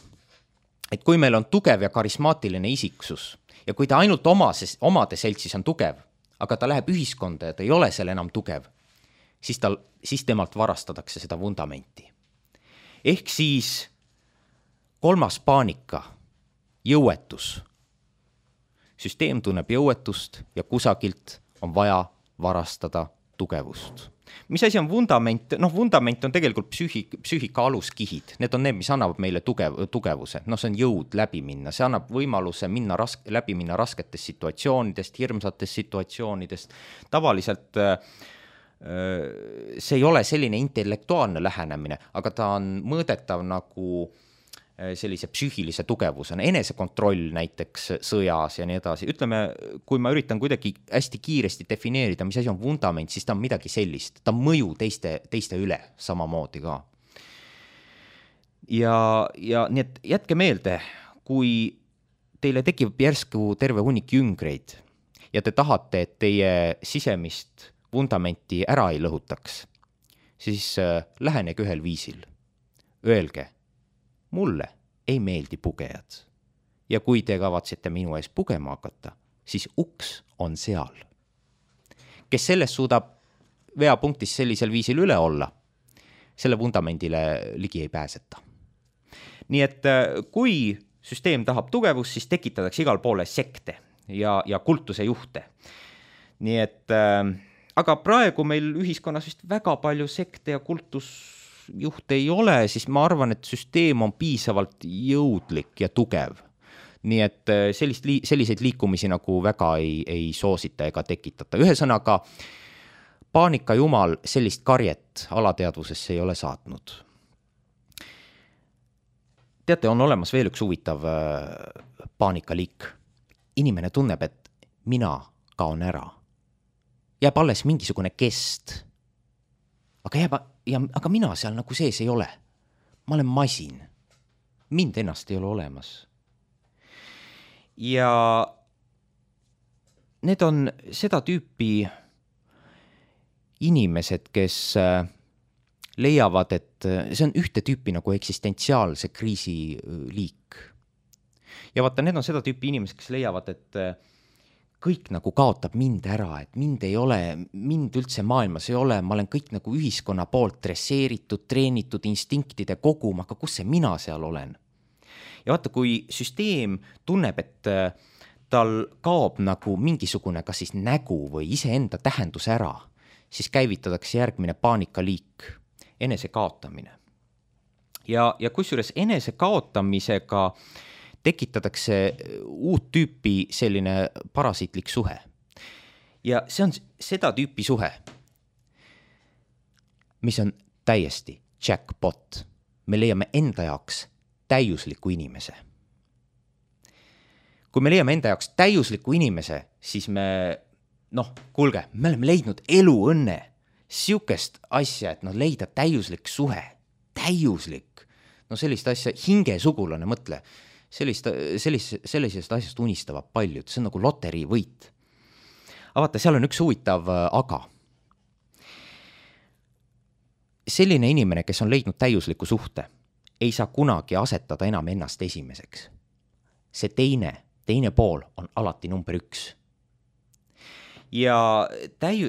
et kui meil on tugev ja karismaatiline isiksus ja kui ta ainult omade seltsis on tugev, aga ta läheb ühiskonda ja ta ei ole seal enam tugev, siis temalt varastatakse seda vundamenti. Ehk siis 3. paanika, jõuetus. Süsteem tunneb jõuetust ja kusagilt on vaja varastada tugevust. Mis asi on vundament? Vundament on tegelikult psüühika aluskihid. Need on need, mis annavad meile tugevuse. See on jõud läbi minna. See annab võimaluse läbi minna rasketest situatsioonidest, hirmsatest situatsioonidest. Tavaliselt see ei ole selline intellektuaalne lähenemine, aga ta on mõõdetav nagu sellise psüühilise tugevusena, enesekontroll näiteks sõjas ja nii edasi. Ütleme, kui ma üritan kuidagi hästi kiiresti defineerida, mis asi on vundament, siis ta on midagi sellist. Ta mõju teiste üle samamoodi ka. Ja nii et jätke meelde, kui teile tekib järsku terve hunnik jüngreid ja te tahate, et teie sisemist vundamenti ära ei lõhutaks, siis lähenege ühel viisil. Öelge, mulle ei meeldi pugejad. Ja kui te kavatsete minu ees pugema hakata, siis uks on seal. Kes sellest suudab veapunktis sellisel viisil üle olla, selle vundamendile ligi ei pääseta. Nii et kui süsteem tahab tugevust, siis tekitatakse igal poole sekte ja kultuse juhte. Nii et, aga praegu meil ühiskonnas vist väga palju sekte ja kultusjuhte ei ole, siis ma arvan, et süsteem on piisavalt jõudlik ja tugev. Nii et selliseid liikumisi nagu väga ei soosita ega tekitata. Ühesõnaga, paanika jumal sellist karjet alateadvusesse ei ole saatnud. Teate, on olemas veel üks huvitav paanikaliik. Inimene tunneb, et mina kaon ära. Jääb alles mingisugune kest. Aga mina seal nagu sees ei ole. Ma olen masin. Mind ennast ei ole olemas. Ja need on seda tüüpi inimesed, kes leiavad, et see on ühte tüüpi nagu eksistentsiaalse kriisi liik. Ja vaata, need on seda tüüpi inimesed, kes leiavad, et kõik nagu kaotab mind ära, et mind ei ole, mind üldse maailmas ei ole, ma olen kõik nagu ühiskonna poolt dresseeritud, treenitud instinktide kogum, aga kus see mina seal olen? Ja vaata, kui süsteem tunneb, et tal kaob nagu mingisugune kas siis nägu või iseenda tähendus ära, siis käivitatakse järgmine paanikaliik, enese kaotamine. Ja kusjuures enese kaotamisega tekitatakse uut tüüpi selline parasiitlik suhe. Ja see on seda tüüpi suhe, mis on täiesti jackpot. Me leiame enda jaoks täiusliku inimese. Kui me leiame enda jaoks täiusliku inimese, siis me kuulge, me oleme leidnud eluõnne, siukest asja, et leida täiuslik suhe, täiuslik, sellist asja, hingesugulane, mõtle, sellisest asjast unistavad paljud, see on nagu loteriivõit. Aga vaata, seal on üks huvitav aga. Selline inimene, kes on leidnud täiusliku suhte, ei saa kunagi asetada enam ennast esimeseks. See teine pool on alati number 1. Ja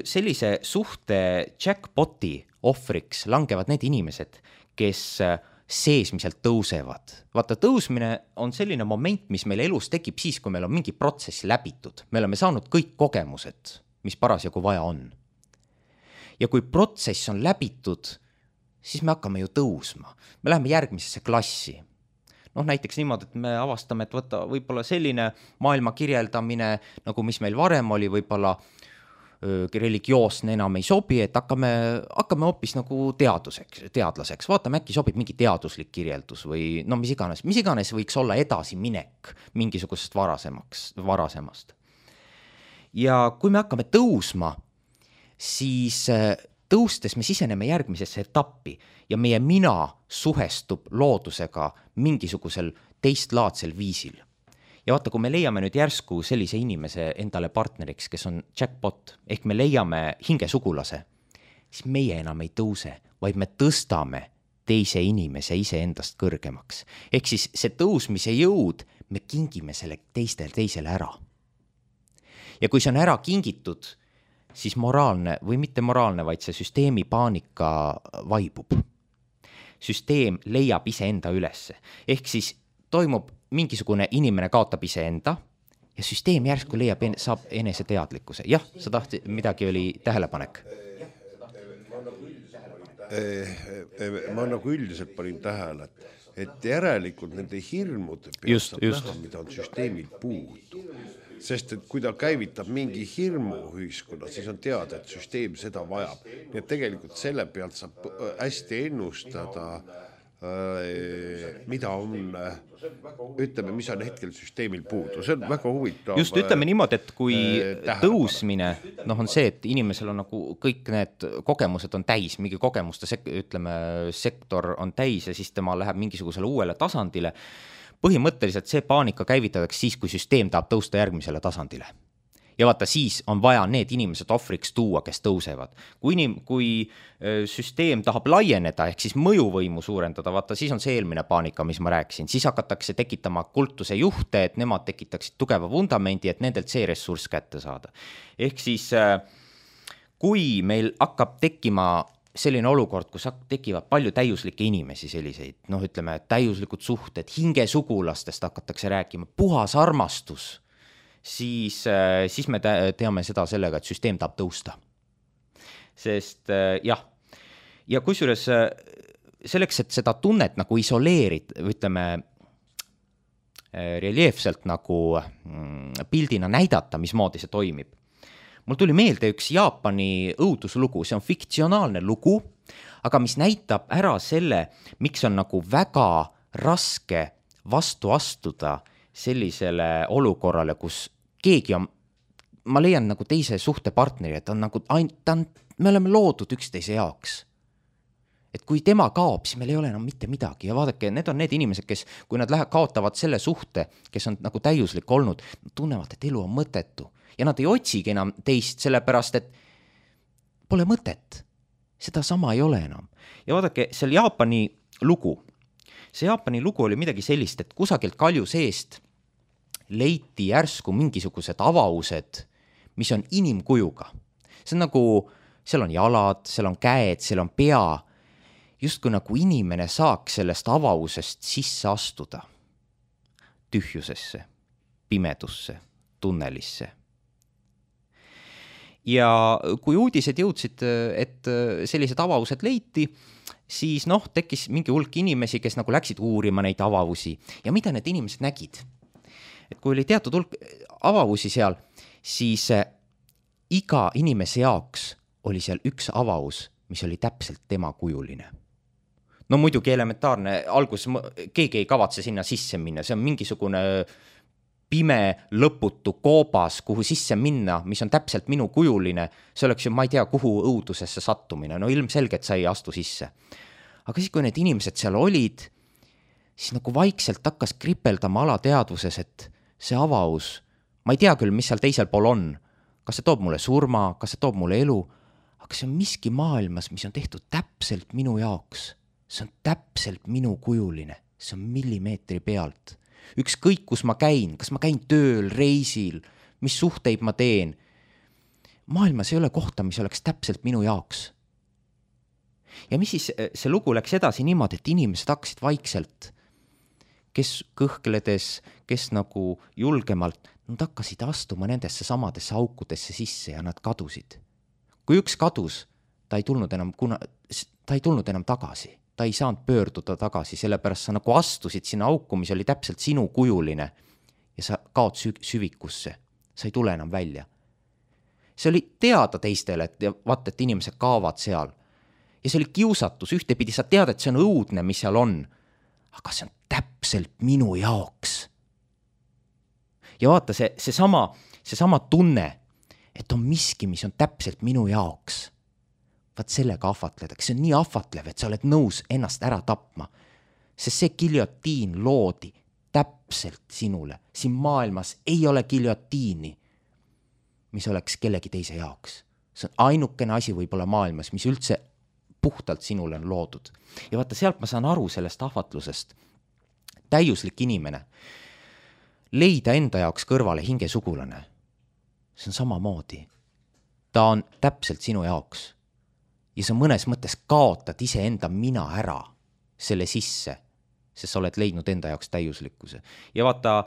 sellise suhte jackpoti ohvriks langevad need inimesed, kes seesmiselt tõusevad. Vaata, tõusmine on selline moment, mis meil elus tekib siis, kui meil on mingi protsess läbitud. Me oleme saanud kõik kogemused, mis parasjagu vaja on. Ja kui protsess on läbitud, siis me hakkame ju tõusma. Me läheme järgmisesse klassi. Näiteks niimoodi, et me avastame, et võib-olla selline maailma kirjeldamine, nagu mis meil varem oli, võib-olla religioosne enam ei sobi, et hakkame hoopis nagu teadlaseks. Vaatame, äkki sobib mingi teaduslik kirjeldus või mis iganes võiks olla edasiminek mingisugusest varasemast. Ja kui me hakkame tõusma, siis tõustes me siseneme järgmisesse etappi ja meie mina suhestub loodusega mingisugusel teistlaadsel viisil. Ja vaata, kui me leiame nüüd järsku sellise inimese endale partneriks, kes on jackpot, ehk me leiame hingesugulase, siis meie enam ei tõuse, vaid me tõstame teise inimese iseendast kõrgemaks. Ehk siis see tõusmise jõud, me kingime selle teisele ära. Ja kui see on ära kingitud, siis moraalne või mitte moraalne, vaid see süsteemi paanika vaibub. Süsteem leiab iseenda ülesse. Ehk siis toimub mingisugune inimene kaotab iseenda ja süsteem järsku saab enese teadlikkuse. Jah, sa tahti, midagi oli tähelepanek. Ma nagu üldiselt panin tähele, et järelikult nende hirmude pealt saab näha, mida on süsteemil puudu. Sest et kui ta käivitab mingi hirmu ühiskonna, siis on teada, et süsteem seda vajab. Nii et tegelikult selle pealt saab hästi ennustada, mida on, ütleme, mis on hetkel süsteemil puudu. See on väga huvitav. Just ütleme niimoodi, et kui tõusmine, on see, et inimesel on nagu kõik need kogemused on täis, mingi kogemuste sektor on täis ja siis tema läheb mingisugusele uuele tasandile. Põhimõtteliselt see paanika käivitatakse siis, kui süsteem tahab tõusta järgmisele tasandile. ja vaata, siis on vaja need inimesed ohvriks tuua, kes tõusevad. Kui süsteem tahab laieneda, ehk siis mõjuvõimu suurendada, vaata, siis on see eelmine paanika, mis ma rääkisin, siis hakatakse tekitama kultuse juhte, et nemad tekitaksid tugeva vundamendi, et nendelt see ressurss kätte saada. Ehk siis kui meil hakkab tekkima selline olukord, kus tekivad palju täiuslikke inimesi, selliseid, noh, ütleme, täiuslikud suhted, hingesugulastest hakatakse rääkima, puhas armastus, siis me teame seda sellega, et süsteem tahab tõusta. Sest jah, ja kusjuures selleks, et seda tunnet nagu isoleerid, ütleme, reljeefselt nagu pildina näidata, mismoodi see toimib. Mul tuli meelde üks Jaapani õuduslugu, see on fiktsionaalne lugu, aga mis näitab ära selle, miks on nagu väga raske vastu astuda sellisele olukorrale, kus keegi on, ma leian nagu teise suhtepartneri, et on nagu, me oleme loodud üksteise jaoks. Et kui tema kaob, siis meil ei ole enam mitte midagi ja vaadake, need on need inimesed, kes, kui nad kaotavad selle suhte, kes on nagu täiuslik olnud, tunnevad, et elu on mõttetu. Ja nad ei otsigi enam teist, sellepärast, et pole mõtet. Seda sama ei ole enam. Ja vaadake, see Jaapani lugu oli midagi sellist, et kusagilt kalju seest leiti järsku mingisugused avavused, mis on inimkujuga. See on nagu, seal on jalad, seal on käed, seal on pea, justkui nagu inimene saaks sellest avavusest sisse astuda. Tühjusesse, pimedusse, tunnelisse. Ja kui uudised jõudsid, et sellised avavused leiti, siis tekkis mingi hulk inimesi, kes nagu läksid uurima neid avavusi. Ja mida need inimesed nägid? Et kui oli teatud hulk avavusi seal, siis iga inimese jaoks oli seal üks avavus, mis oli täpselt tema kujuline. No muidugi elementaarne, algus keegi ei kavatse sinna sisse minna, see on mingisugune pime lõputu koobas, kuhu sisse minna, mis on täpselt minu kujuline, see oleks ju, ma ei tea, kuhu õudusesse sattumine, no ilmselgelt sa ei astu sisse. Aga siis, kui need inimesed seal olid, siis nagu vaikselt hakkas kripeldama alateadvuses, et see avavus, ma ei tea küll, mis seal teisel pool on, kas see toob mulle surma, kas see toob mulle elu, aga see on miski maailmas, mis on tehtud täpselt minu jaoks, see on täpselt minu kujuline, see on millimeetri pealt. Ükskõik, kus ma käin, kas ma käin tööl, reisil, mis suhteid ma teen. Maailmas ei ole kohta, mis oleks täpselt minu jaoks. Ja mis siis see lugu läks edasi niimoodi, et inimesed hakkasid vaikselt, kes kõhkledes, kes nagu julgemalt, nad hakkasid astuma nendesse samadesse aukudesse sisse ja nad kadusid. Kui üks kadus, ta ei tulnud enam tagasi. Ta ei saanud pöörduda tagasi, sellepärast sa nagu astusid sinna auku, mis oli täpselt sinu kujuline ja sa kaod süvikusse. Sa ei tule enam välja. See oli teada teistele, et inimesed kaovad seal. Ja see oli kiusatus, ühtepidi sa tead, et see on õudne, mis seal on. Aga see on täpselt minu jaoks. Ja vaata, see sama tunne, et on miski, mis on täpselt minu jaoks. Vaat sellega ahvatledaks, see on nii ahvatlev, et sa oled nõus ennast ära tapma, sest see giljotiin loodi täpselt sinule. Siin maailmas ei ole giljotiini, mis oleks kellegi teise jaoks. See on ainukene asi võib-olla maailmas, mis üldse puhtalt sinule on loodud. Ja vaata, sealt ma saan aru sellest ahvatlusest. Täiuslik inimene, leida enda jaoks kõrvale hingesugulane. See on samamoodi. Ta on täpselt sinu jaoks. Ja sa mõnes mõttes kaotad iseenda mina ära selle sisse, sest sa oled leidnud enda jaoks täiuslikkuse. Ja vaata,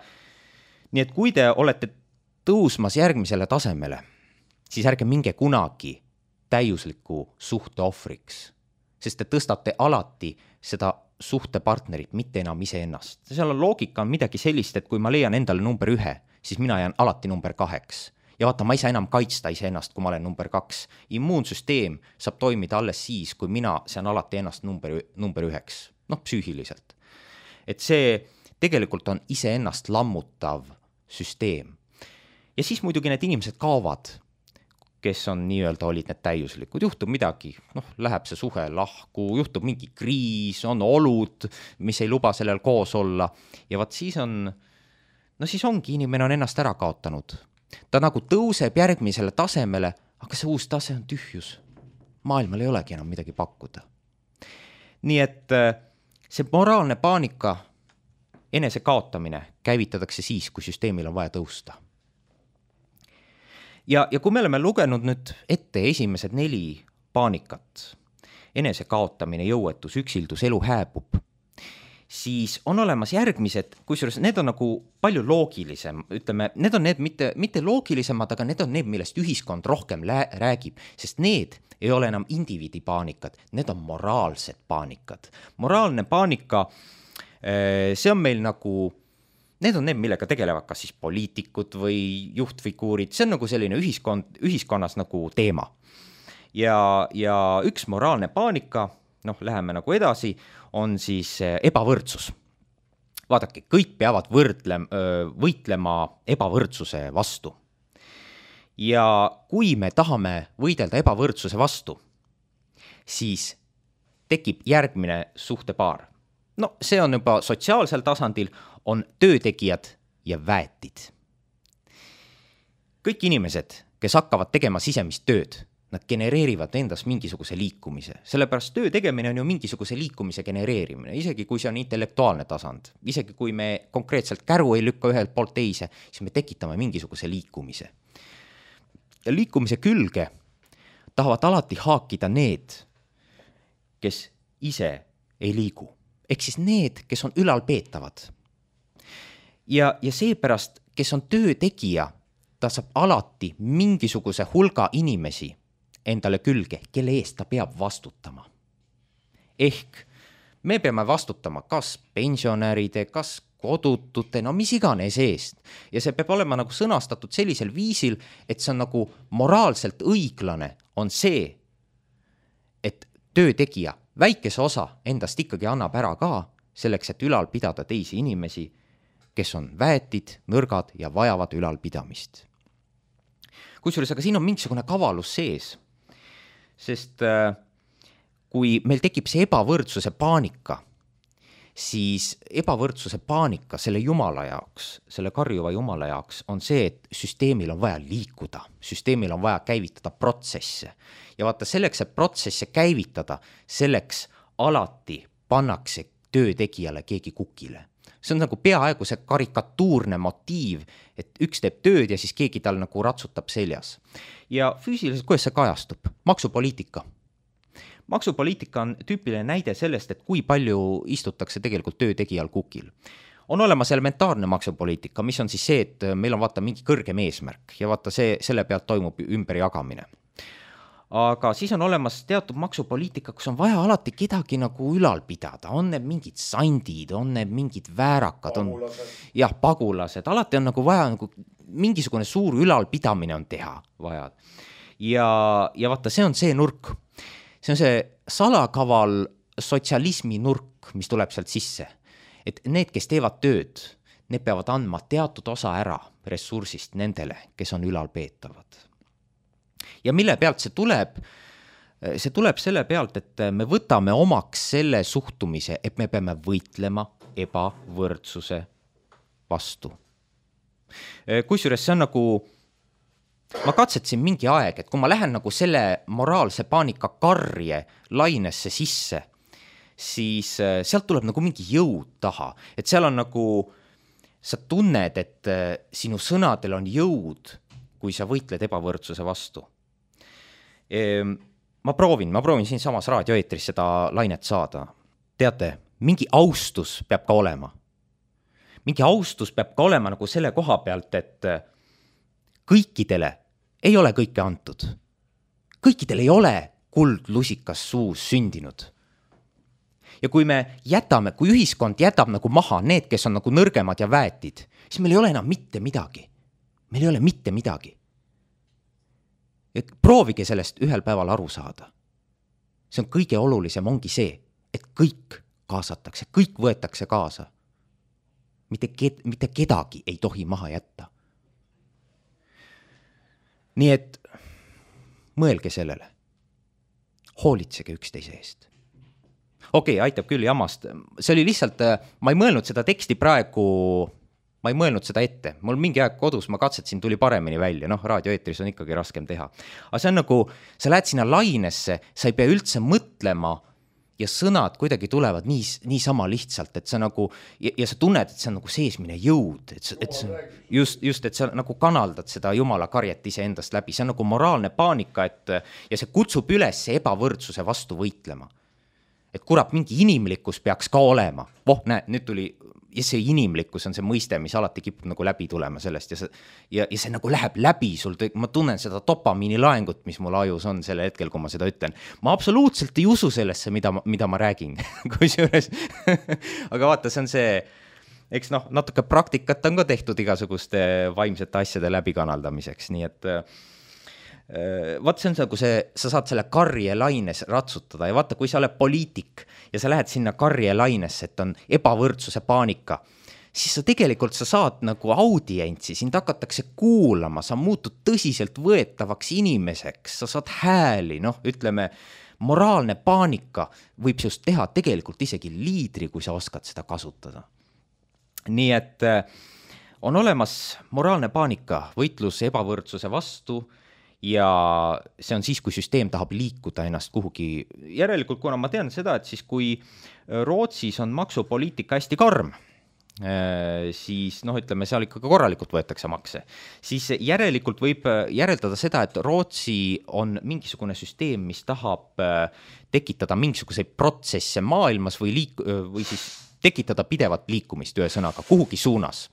nii et kui te olete tõusmas järgmisele tasemele, siis ärge minge kunagi täiusliku suhte ohvriks, sest te tõstate alati seda suhtepartnerit, mitte enam iseennast. Seal on loogika midagi sellist, et kui ma leian endale number 1, siis mina jään alati number 2. Ja vaata, ma ei saa enam kaitsta iseennast, kui ma olen number 2. Immuunsüsteem saab toimida alles siis, kui mina sean alati ennast number 1. Psüühiliselt. Et see tegelikult on iseennast lammutav süsteem. Ja siis muidugi need inimesed kaovad, kes on nii-öelda olid need täiuslikud. Juhtub midagi, läheb see suhe lahku, juhtub mingi kriis, on olud, mis ei luba sellel koos olla. Ja vaat siis ongi inimene on ennast ära kaotanud. ta nagu tõuseb järgmisele tasemele, aga see uus tase on tühjus. Maailmal ei olegi enam midagi pakkuda. Nii et see moraalne paanika, enese kaotamine käivitatakse siis, kui süsteemil on vaja tõusta. Ja kui me oleme lugenud nüüd ette esimesed 4 paanikat, enese kaotamine, jõuetus, üksildus, elu hääbub, siis on olemas järgmised, kusjuures need on nagu palju loogilisem, ütleme, need on need mitte loogilisemad, aga need on need, millest ühiskond rohkem räägib, sest need ei ole enam indiviidi paanikad, need on moraalsed paanikad. Moraalne paanika, see on meil nagu, need on need, millega tegelevad kas siis poliitikud või juhtfiguurid, see on nagu selline ühiskonnas nagu teema. Ja üks moraalne paanika, läheme nagu edasi, on siis ebavõrdsus. Vaadake, kõik peavad võitlema ebavõrdsuse vastu. Ja kui me tahame võidelda ebavõrdsuse vastu, siis tekib järgmine suhtepaar. See on juba sotsiaalsel tasandil, on töötegijad ja väetid. Kõik inimesed, kes hakkavad tegema sisemist tööd, nad genereerivad endas mingisuguse liikumise. Sellepärast töö tegemine on ju mingisuguse liikumise genereerimine, isegi kui see on intellektuaalne tasand. Isegi kui me konkreetselt käru ei lükka ühelt poolt teise, siis me tekitame mingisuguse liikumise. Ja liikumise külge tahavad alati haakida need, kes ise ei liigu. Ehk siis need, kes on ülalpeetavad. Ja seepärast, kes on töö tegija, ta saab alati mingisuguse hulga inimesi endale külge, kelle eest ta peab vastutama. Ehk me peame vastutama kas pensionäride, kas kodutute, mis iganes eest. Ja see peab olema nagu sõnastatud sellisel viisil, et see on nagu moraalselt õiglane, on see, et töötegija väikese osa endast ikkagi annab ära ka, selleks, et ülal pidada teisi inimesi, kes on väetid, nõrgad ja vajavad ülalpidamist. Kusjuures, aga siin on mingisugune kavalus sees, sest kui meil tekib see ebavõrdsuse paanika, siis ebavõrdsuse paanika selle jumala jaoks, selle karjuva jumala jaoks on see, et süsteemil on vaja liikuda, süsteemil on vaja käivitada protsesse. Ja vaata, selleks, et protsesse käivitada, selleks alati pannakse töötegijale keegi kukile. See on nagu peaaegu see karikatuurne motiiv, et üks teeb tööd ja siis keegi tal nagu ratsutab seljas. Ja füüsiliselt, kuidas see kajastub? Maksupoliitika. Maksupoliitika on tüüpiline näide sellest, et kui palju istutakse tegelikult töötegijal kukil. On olemas elementaarne maksupoliitika, mis on siis see, et meil on vaata mingi kõrgem eesmärk ja vaata selle pealt toimub ümberjagamine. Aga siis on olemas teatud maksupoliitika, kus on vaja alati kedagi nagu ülal pidada. On need mingid sandid, on need mingid väärakad, pagulased. Alati on nagu vaja nagu mingisugune suur ülalpidamine on teha vaja. Ja vaata, see on see nurk. See on see salakaval sotsialismi nurk, mis tuleb sealt sisse. Et need, kes teevad tööd, need peavad andma teatud osa ära ressursist nendele, kes on ülalpeetavad. Ja mille pealt see tuleb? See tuleb selle pealt, et me võtame omaks selle suhtumise, et me peame võitlema ebavõrdsuse vastu. Kusjuures see on nagu, ma katsetasin mingi aeg, et kui ma lähen nagu selle moraalse paanika karje lainesse sisse, siis sealt tuleb nagu mingi jõud taha. Et seal on nagu, sa tunned, et sinu sõnadel on jõud, kui sa võitled ebavõrdsuse vastu. Ma proovin siin samas raadioeetris seda lainet saada. Teate, mingi austus peab ka olema. Mingi austus peab ka olema nagu selle koha pealt, et kõikidele ei ole kõike antud. Kõikidel ei ole kuldlusikas suus sündinud. Ja kui me jätame, kui ühiskond jätab nagu maha need, kes on nagu nõrgemad ja väetid, siis meil ei ole enam mitte midagi. Meil ei ole mitte midagi. Ja proovige sellest ühel päeval aru saada. See on kõige olulisem, ongi see, et kõik kaasatakse, kõik võetakse kaasa. Mitte kedagi ei tohi maha jätta. Nii et mõelge sellele. Hoolitsege üksteise eest. Okei, aitab küll jamast. See oli lihtsalt, ma ei mõelnud seda teksti praegu ma ei mõelnud seda ette, mul mingi aeg kodus ma katsetasin, tuli paremini välja, noh, raadioeetris on ikkagi raskem teha. Aga see on nagu, sa lähed sinna lainesse, sa ei pea üldse mõtlema ja sõnad kuidagi tulevad niisama lihtsalt, et sa nagu, ja sa tunned, et see on nagu seesmine jõud, et just, et sa nagu kanaldad seda jumala karjet ise endast läbi, see on nagu moraalne paanika, ja see kutsub üles ebavõrdsuse vastu võitlema. Et kurat, mingi inimlikkus peaks ka olema. Näe, nüüd tuli, ja see inimlikkus on see mõiste, mis alati kipub nagu läbi tulema sellest ja see nagu läheb läbi sul, ma tunnen seda dopamiini laengut, mis mul ajus on selle hetkel, kui ma seda ütlen. Ma absoluutselt ei usu sellesse, mida ma räägin, kusjuures. Aga vaata, see on see, eks noh, natuke praktikat on ka tehtud igasuguste vaimsete asjade läbikanaldamiseks, nii et vaata, see on nagu sa saad selle karjelaines ratsutada ja vaata, kui sa oled poliitik ja sa lähed sinna karjelainesse, et on ebavõrdsuse paanika, siis sa saad nagu audientsi, sind hakatakse kuulama, sa muutud tõsiselt võetavaks inimeseks, sa saad hääli, noh, ütleme, moraalne paanika võib sinust teha tegelikult isegi liidri, kui sa oskad seda kasutada. Nii et on olemas moraalne paanika, võitlus ebavõrdsuse vastu, ja see on siis, kui süsteem tahab liikuda ennast kuhugi. Järelikult, kuna ma tean seda, et siis kui Rootsis on maksupoliitika hästi karm, siis noh, ütleme, seal ikkagi korralikult võetakse makse, siis järelikult võib järeldada seda, et Rootsi on mingisugune süsteem, mis tahab tekitada mingisuguseid protsesse maailmas või siis tekitada pidevat liikumist ühesõnaga kuhugi suunas.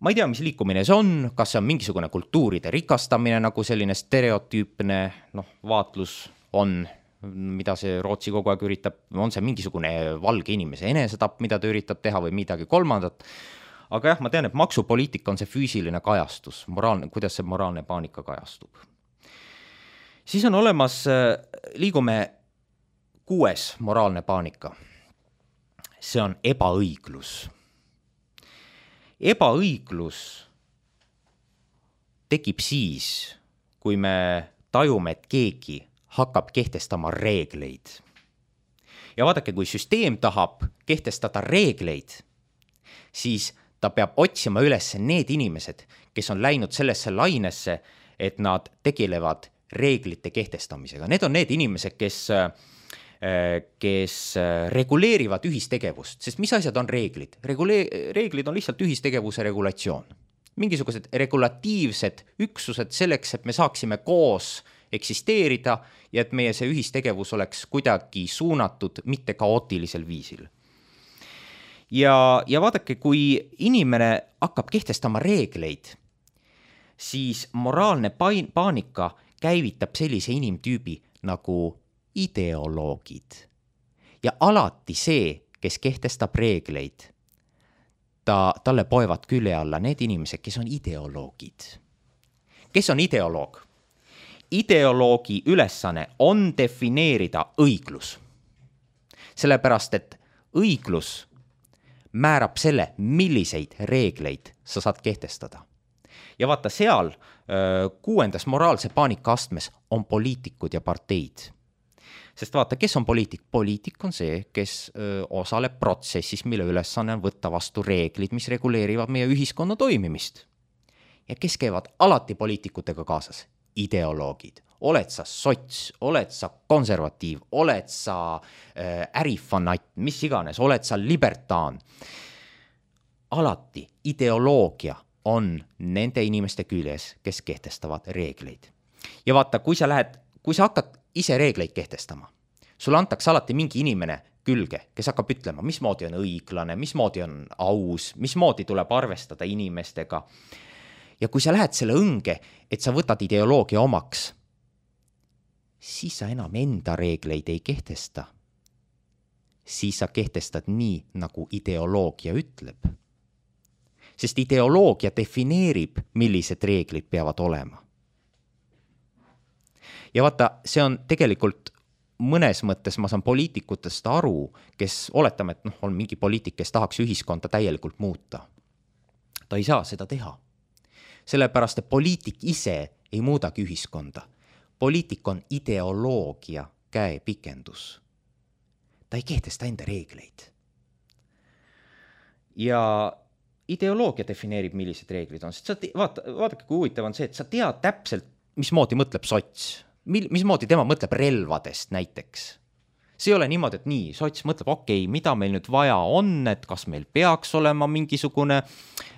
Ma ei tea, mis liikumine see on, kas see on mingisugune kultuuride rikastamine, nagu selline stereotüüpne vaatlus on, mida see Rootsi kogu aeg üritab, on see mingisugune valge inimese enesetapp, mida ta üritab teha või midagi kolmandat. Aga jah, ma tean, et maksupoliitika on see füüsiline kajastus, kuidas see moraalne paanika kajastub. Siis on olemas, liigume 6. moraalne paanika. See on ebaõiglus. Ebaõiglus tekib siis, kui me tajume, et keegi hakkab kehtestama reegleid. Ja vaadake, kui süsteem tahab kehtestada reegleid, siis ta peab otsima üles need inimesed, kes on läinud sellesse lainesse, et nad tegelevad reeglite kehtestamisega. Need on need inimesed, kes reguleerivad ühistegevust, sest mis asjad on reeglid? Reeglid on lihtsalt ühistegevuse regulatsioon. Mingisugused regulatiivsed üksused selleks, et me saaksime koos eksisteerida ja et meie see ühistegevus oleks kuidagi suunatud mitte kaootilisel viisil. Ja vaadake, kui inimene hakkab kehtestama reegleid, siis moraalne paanika käivitab sellise inimtüübi nagu ideoloogid. Ja alati see, kes kehtestab reegleid, talle poevad külje alla need inimesed, kes on ideoloogid. Kes on ideoloog? Ideoloogi ülesanne on defineerida õiglus. Sellepärast, et õiglus määrab selle, milliseid reegleid sa saad kehtestada. Ja vaata, seal 6. moraalse paanika astmes on poliitikud ja parteid. Sest vaata, kes on poliitik? Poliitik on see, kes osaleb protsessis, mille ülesanne on võtta vastu reeglid, mis reguleerivad meie ühiskonna toimimist. Ja kes käivad alati poliitikutega kaasas? Ideoloogid. Oled sa sots, oled sa konservatiiv, oled sa ärifanat, mis iganes, oled sa libertaan. Alati ideoloogia on nende inimeste küljes, kes kehtestavad reegleid. Ja vaata, kui sa hakkad ise reegleid kehtestama, sulle antakse alati mingi inimene külge, kes hakkab ütlema, mismoodi on õiglane, mismoodi on aus, mismoodi tuleb arvestada inimestega. Ja kui sa lähed selle õnge, et sa võtad ideoloogia omaks, siis sa enam enda reegleid ei kehtesta. Siis sa kehtestad nii, nagu ideoloogia ütleb. Sest ideoloogia defineerib, millised reeglid peavad olema. Ja vaata, see on tegelikult mõnes mõttes, ma saan poliitikutest aru, kes oletame, et on mingi poliitik, kes tahaks ühiskonda täielikult muuta. Ta ei saa seda teha. Sellepärast, et poliitik ise ei muudagi ühiskonda. Poliitik on ideoloogia käepikendus. Ta ei kehtesta enda reegleid. Ja ideoloogia defineerib, millised reeglid on, sest vaadake, kui huvitav on see, et sa tead täpselt, mismoodi mõtleb sots, mismoodi tema mõtleb relvadest näiteks. See ei ole niimoodi, et nii, sots mõtleb, okei, mida meil nüüd vaja on, et kas meil peaks olema mingisugune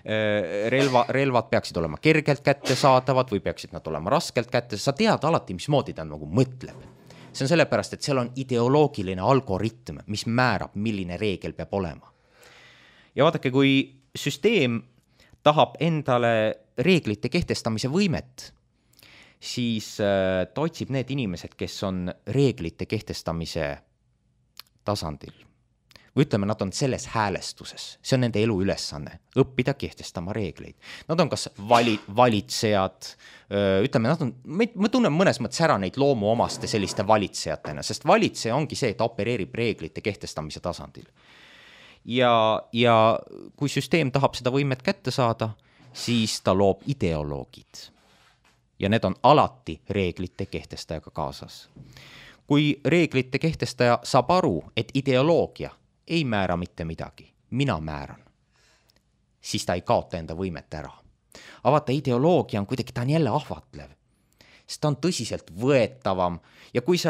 relvad peaksid olema kergelt kättesaadavad või peaksid nad olema raskelt kätte, sa tead alati, mismoodi ta nagu mõtleb. See on sellepärast, et seal on ideoloogiline algoritm, mis määrab, milline reegel peab olema. Ja vaadake, kui süsteem tahab endale reeglite kehtestamise võimet, siis ta otsib need inimesed, kes on reeglite kehtestamise tasandil. Või ütleme, nad on selles häälestuses. See on nende elu ülesanne, õppida kehtestama reegleid. Nad on kas valitsejad, ütleme, nad on, ma tunnen mõnes mõttes ära neid loomuomaste selliste valitsejatena, sest valitseja ongi see, et ta opereerib reeglite kehtestamise tasandil. Ja kui süsteem tahab seda võimet kätte saada, siis ta loob ideoloogid. Ja need on alati reeglite kehtestajaga kaasas. Kui reeglite kehtestaja saab aru, et ideoloogia ei määra mitte midagi, mina määran, siis ta ei kaota enda võimet ära. Aga vaata, ideoloogia on kuidagi, ta on jälle ahvatlev, sest ta on tõsiselt võetavam ja kui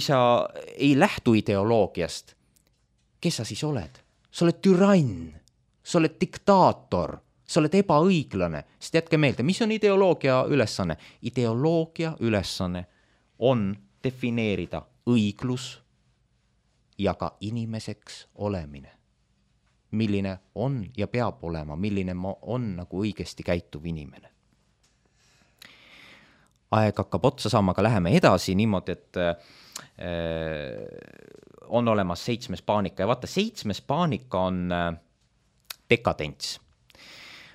sa ei lähtu ideoloogiast, kes sa siis oled? Sa oled türann, sa oled diktaator, sa oled ebaõiglane, sest jätke meelde, mis on ideoloogia ülesanne? Ideoloogia ülesanne on defineerida õiglus ja ka inimeseks olemine. Milline on ja peab olema, milline on nagu õigesti käituv inimene. Aeg hakkab otsa saama, aga läheme edasi niimoodi, et on olemas 7. paanika ja vaata, 7. paanika on dekadents.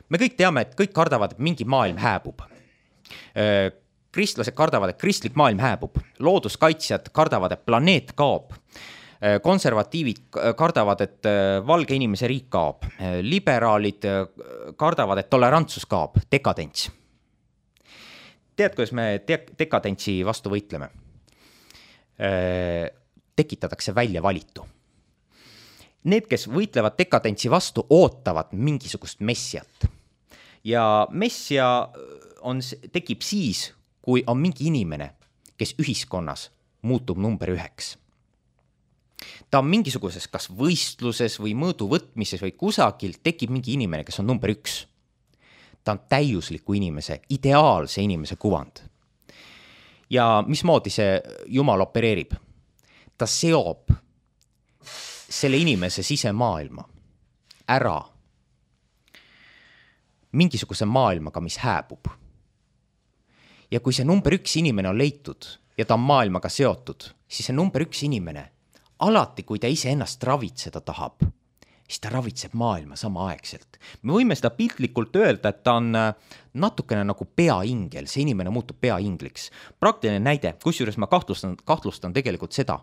Me kõik teame, et kõik kardavad, et mingi maailm hääbub. Kristlased kardavad, et kristlik maailm hääbub. Looduskaitsjad kardavad, et planeet kaob. Konservatiivid kardavad, et valge inimese riik kaob. Liberaalid kardavad, et tolerantsus kaob. Dekadents. Tead, kuidas me dekadentsi vastu võitleme? Tekitatakse välja valitu. Need, kes võitlevad dekadentsi vastu, ootavad mingisugust messiat. Ja messia tekib siis, kui on mingi inimene, kes ühiskonnas muutub number 1. Ta on mingisuguses kas võistluses või mõõdu võtmises või kusagil tekib mingi inimene, kes on number 1. Ta on täiusliku inimese, ideaalse inimese kuvand. Ja mismoodi see Jumal opereerib? Ta seob selle inimese sisemaailma ära mingisuguse maailmaga, mis hääbub. Ja kui see number 1 inimene on leitud ja ta on maailmaga seotud, siis see number 1 inimene, alati kui ta ise ennast ravitseda tahab, siis ta ravitseb maailma samaaegselt. Me võime seda piltlikult öelda, et ta on natukene nagu peaingel, see inimene muutub peaingliks. Praktiline näide, kusjuures ma kahtlustan tegelikult seda,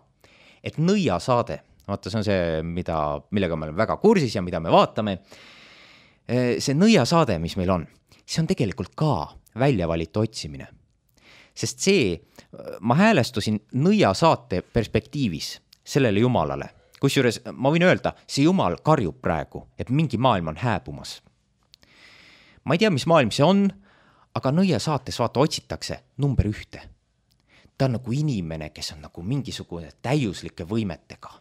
et nõiasaade, vaata, see on see, millega me oleme väga kursis ja mida me vaatame, see nõiasaade, mis meil on, see on tegelikult ka väljavalitu otsimine. Sest ma häälestusin nõiasaate perspektiivis sellele Jumalale. Kusjuures ma võin öelda, see Jumal karjub praegu, et mingi maailm on hääbumas. Ma ei tea, mis maailm see on, aga nõiasaates vaata otsitakse number 1. Ta on nagu inimene, kes on nagu mingisugune täiuslike võimetega.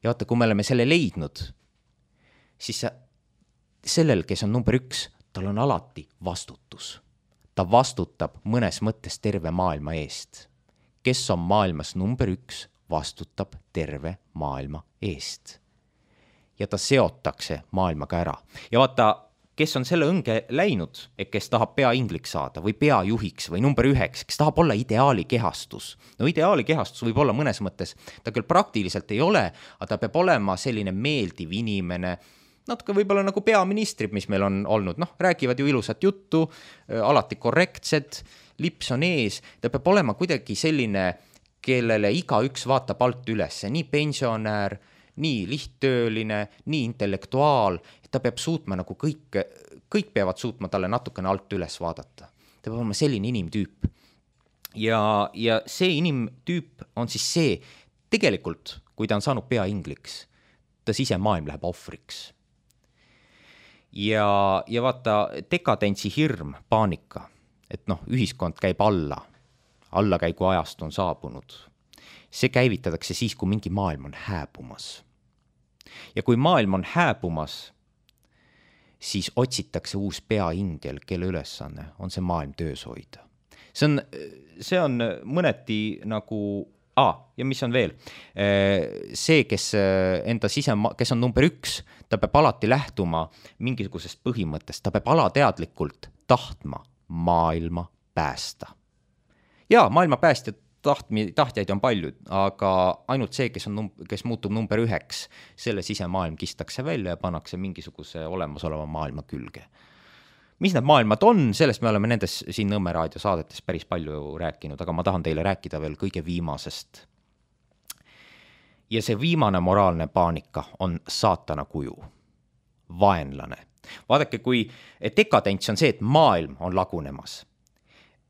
Ja vaata, kui me oleme selle leidnud, siis sellel, kes on number 1, tal on alati vastutus. Ta vastutab mõnes mõttes terve maailma eest. Kes on maailmas number 1, vastutab terve maailma eest. Ja ta seotakse maailmaga ära. Ja vaata, kes on selle õnge läinud, et kes tahab peaingliks saada või peajuhiks või number 1, kes tahab olla ideaali kehastus. No ideaali kehastus võib olla mõnes mõttes, ta küll praktiliselt ei ole, aga ta peab olema selline meeldiv inimene, natuke võib-olla nagu peaministrid, mis meil on olnud, räägivad ju ilusat juttu, alati korrektsed, lips on ees, ta peab olema kuidagi selline, kellele igaüks vaatab alt üles, nii pensionär, nii lihttööline, nii intellektuaal, et ta peab suutma nagu kõik peavad suutma talle natukene alt üles vaadata. Ta peab olema selline inimtüüp. Ja see inimtüüp on siis see, tegelikult, kui ta on saanud peaingliks, ta sisemaailm läheb ohvriks. ja vaata, dekadentsi hirm, paanika, et noh, ühiskond käib allakäigu ajast on saabunud. See käivitatakse siis, kui mingi maailm on hääbumas. Ja kui maailm on hääbumas, siis otsitakse uus peaingel, kelle ülesanne on see maailm töös hoida. See on mõneti nagu, ja mis on veel, see, kes kes on number 1, ta peab alati lähtuma mingisugusest põhimõttest, ta peab alateadlikult tahtma maailma päästa. Ja maailma tahtjaid on palju, aga ainult see, kes muutub number 1, selle sisemaailm kistakse välja ja pannakse mingisuguse olemasoleva maailma külge. Mis need maailmad on, sellest me oleme nendes siin Nõmme raadio saadetes päris palju rääkinud, aga ma tahan teile rääkida veel kõige viimasest. Ja see viimane moraalne paanika on saatana kuju, vaenlane. Vaadake, kui dekadents on see, et maailm on lagunemas,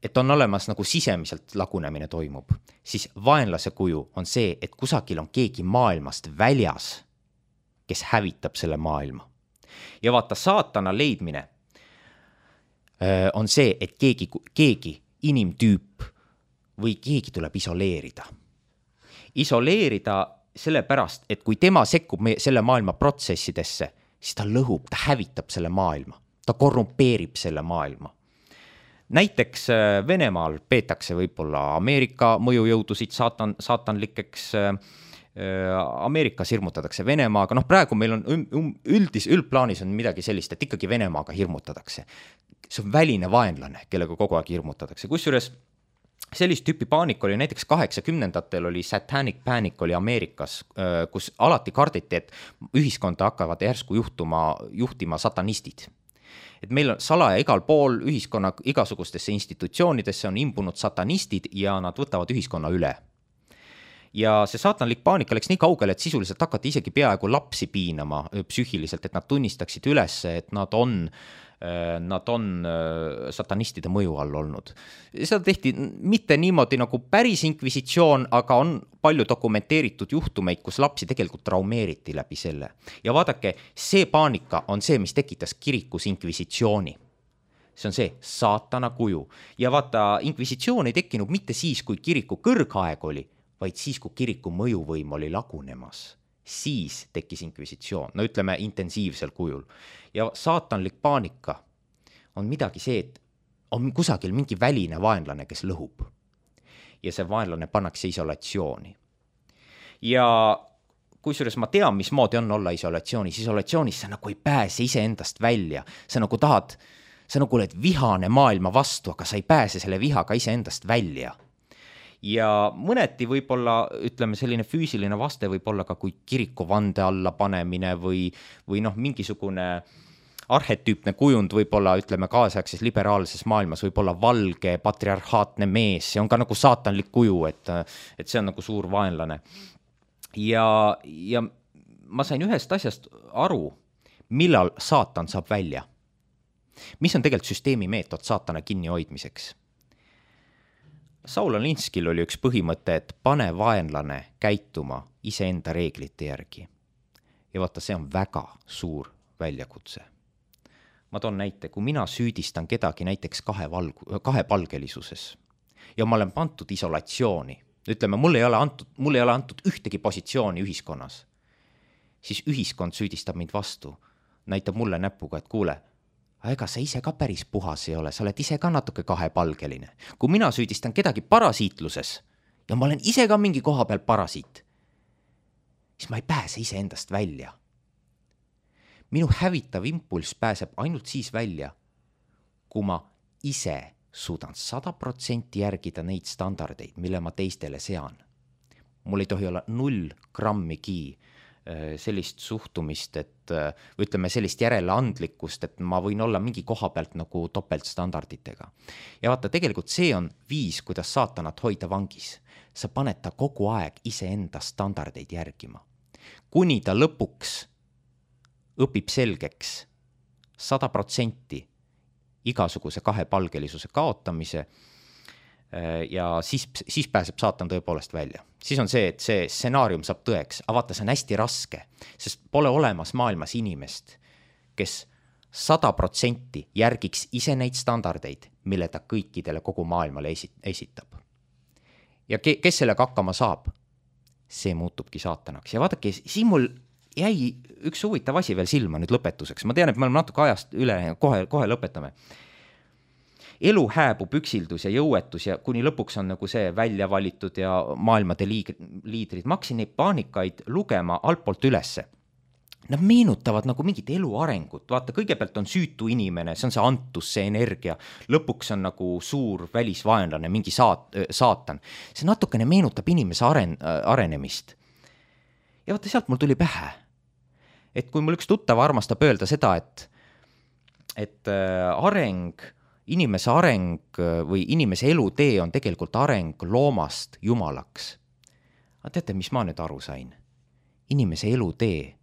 et on olemas nagu sisemiselt lagunemine toimub, siis vaenlase kuju on see, et kusagil on keegi maailmast väljas, kes hävitab selle maailma. Ja vaata, saatana leidmine on see, et keegi inimtüüp või keegi tuleb isoleerida. Isoleerida sellepärast, et kui tema sekkub selle maailma protsessidesse, siis ta lõhub, ta hävitab selle maailma, ta korrumpeerib selle maailma. Näiteks Venemaal peetakse võib-olla Ameerika mõjujõudusid saatanlikeks, Ameerikas hirmutatakse Venemaaga, praegu meil on üldplaanis on midagi sellist, et ikkagi Venemaaga hirmutatakse. See on väline vaenlane, kellega kogu aeg hirmutatakse. Kusjuures sellist tüüpi paanik oli näiteks 80-ndatel oli satanic panic oli Ameerikas, kus alati karditi, et ühiskonda hakkavad järsku juhtima satanistid. Et meil on salaja igal pool ühiskonna igasugustesse institutsioonidesse on imbunud satanistid ja nad võtavad ühiskonna üle. Ja see saatanlik paanika läks nii kaugele, et sisuliselt hakati isegi peaaegu lapsi piinama psüühiliselt, et nad tunnistaksid üles, et nad on satanistide mõju all olnud. Seda tehti mitte niimoodi nagu päris inkvisitsioon, aga on palju dokumenteeritud juhtumeid, kus lapsi tegelikult traumeeriti läbi selle. Ja vaadake, see paanika on see, mis tekitas kirikus inkvisitsiooni. See on see saatana kuju. Ja vaata, inkvisitsioon ei tekkinud mitte siis, kui kiriku kõrgaeg oli, vaid siis, kui kiriku mõjuvõim oli lagunemas. Siis tekkis inkvisitsioon, ütleme intensiivsel kujul. Ja saatanlik paanika on midagi see, et on kusagil mingi väline vaenlane, kes lõhub. Ja see vaenlane pannakse isolatsiooni. Ja kusjuures ma tean, mismoodi on olla isolatsioonis. Isolatsioonis sa nagu ei pääse iseendast välja. Sa nagu oled vihane maailma vastu, aga sa ei pääse selle vihaga iseendast välja. Ja mõneti võib-olla, ütleme, selline füüsiline vaste võib olla ka kui kiriku vande alla panemine või mingisugune arhetüüpne kujund võib-olla, ütleme, kaasaegses liberaalses maailmas võib-olla valge patriarhaatne mees, see on ka nagu saatanlik kuju, et see on nagu suur vaenlane. Ja ma sain ühest asjast aru, millal saatan saab välja. Mis on tegelikult süsteemi meetod saatana kinni hoidmiseks? Saul Alinskil oli üks põhimõte, et pane vaenlane käituma iseenda reeglite järgi. Ja vaata, see on väga suur väljakutse. Ma toon näite, kui mina süüdistan kedagi näiteks kahepalgelisuses ja ma olen pandud isolatsiooni, ütleme, mulle ei ole antud ühtegi positsiooni ühiskonnas, siis ühiskond süüdistab mind vastu, näitab mulle näpuga, et kuule, ega sa ise ka päris puhas ei ole, sa oled ise ka natuke kahepalgeline. Kui mina süüdistan kedagi parasiitluses ja ma olen ise ka mingi koha peal parasiit, siis ma ei pääse ise endast välja. Minu hävitav impulss pääseb ainult siis välja, kui ma ise suudan 100% järgida neid standardeid, mille ma teistele sean. Mul ei tohi olla 0 grammigi sellist suhtumist, et ütleme sellist järeleandlikkust, et ma võin olla mingi koha pealt nagu topeltstandarditega. Ja vaata, tegelikult see on viis, kuidas saatanat hoida vangis. Sa paned ta kogu aeg iseenda standardeid järgima. Kuni ta lõpuks õpib selgeks 100% igasuguse kahepalgelisuse kaotamise ja siis pääseb saatan tõepoolest välja. Siis on see, et see stsenaarium saab tõeks, aga vaata, see on hästi raske, sest pole olemas maailmas inimest, kes 100% järgiks ise neid standardeid, mille ta kõikidele kogu maailmale esitab. Ja kes sellega hakkama saab, see muutubki saatanaks. Ja vaadake, siin mul jäi üks huvitav asi veel silma nüüd lõpetuseks. Ma tean, et me oleme natuke ajast üle, kohe lõpetame. Elu hääbub üksildus ja jõuetus ja kuni lõpuks on nagu see välja valitud ja maailmade liidrid. Ma hakkasin neid paanikaid lugema altpoolt ülesse. Nad meenutavad nagu mingit elu arengut. Vaata, kõigepealt on süütu inimene, see on see antus, see energia. Lõpuks on nagu suur välisvaenlane, mingi saatan. See natukene meenutab inimese arenemist. Ja vaata, sealt mul tuli pähe. Et kui mul üks tuttav armastab öelda seda, et inimese areng või inimese elutee on tegelikult areng loomast jumalaks. Aga teate, mis ma nüüd aru sain? Inimese elutee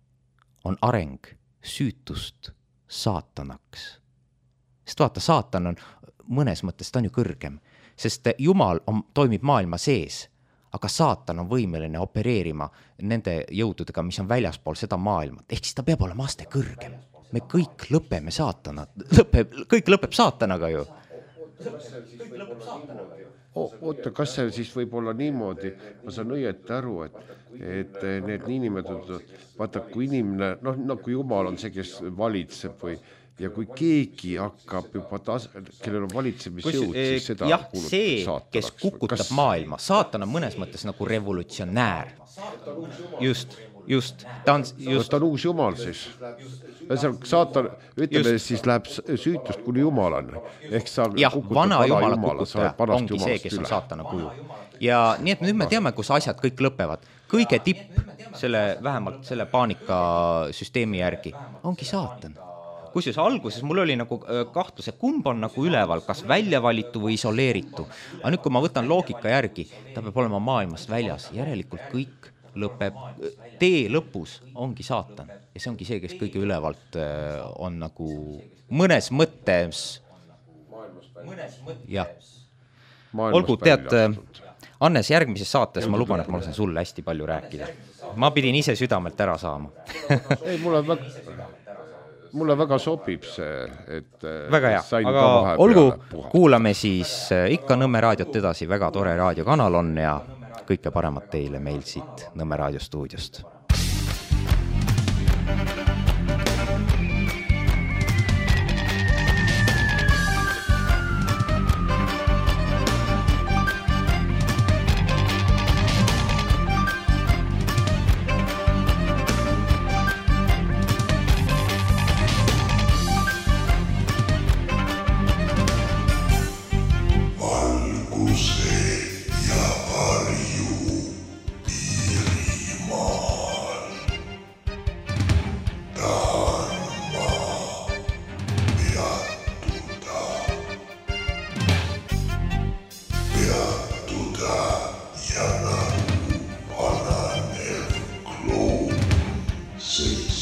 on areng süütust saatanaks. Sest vaata, saatan on mõnes mõttes, ta on ju kõrgem, sest Jumal toimib maailma sees, aga saatan on võimeline opereerima nende jõududega, mis on väljaspool seda maailma. Ehk siis ta peab olema aste kõrgem. Me kõik lõpeme kõik lõpeb saatanaga ju. Oota, kas see siis võib olla niimoodi, ma saan õieti aru, et need niinimetatud, vaata, kui inimene, nagu Jumal on see, kes valitseb ja kui keegi hakkab juba kellel on valitsemisjõud, siis seda kuulutab saatanaks. Kes kukutab maailma. Saatan on mõnes mõttes nagu revolutsionäär. Just. Ta on uus Jumal siis. Saatan, ütleme, siis läheb süütust kuni Jumalani. Vana Jumala kukutaja ongi see, kes on saatana kuju. Ja nii, et nüüd me teame, kus asjad kõik lõpevad. Kõige tipp vähemalt selle paanikasüsteemi järgi ongi saatan. Kusjuures alguses mul oli nagu kahtlus, et kumb on nagu üleval, kas välja valitu või isoleeritu. Aga nüüd, kui ma võtan loogika järgi, ta peab olema maailmast väljas. Järelikult kõik lõpeb, tee lõpus ongi saatan. Ja see ongi see, kes kõige ülevalt on nagu mõnes mõttes. Olgu, tead, Annes, järgmises saates ma luban, et ma lasen sulle hästi palju rääkida. Ma pidin ise südamelt ära saama. Ei, mulle väga sobib see, et väga hea, aga olgu, kuulame siis ikka Nõmme raadiot edasi, väga tore raadiokanal on ja kõike paremat teile meil siit Nõmme raadiostuudiost. See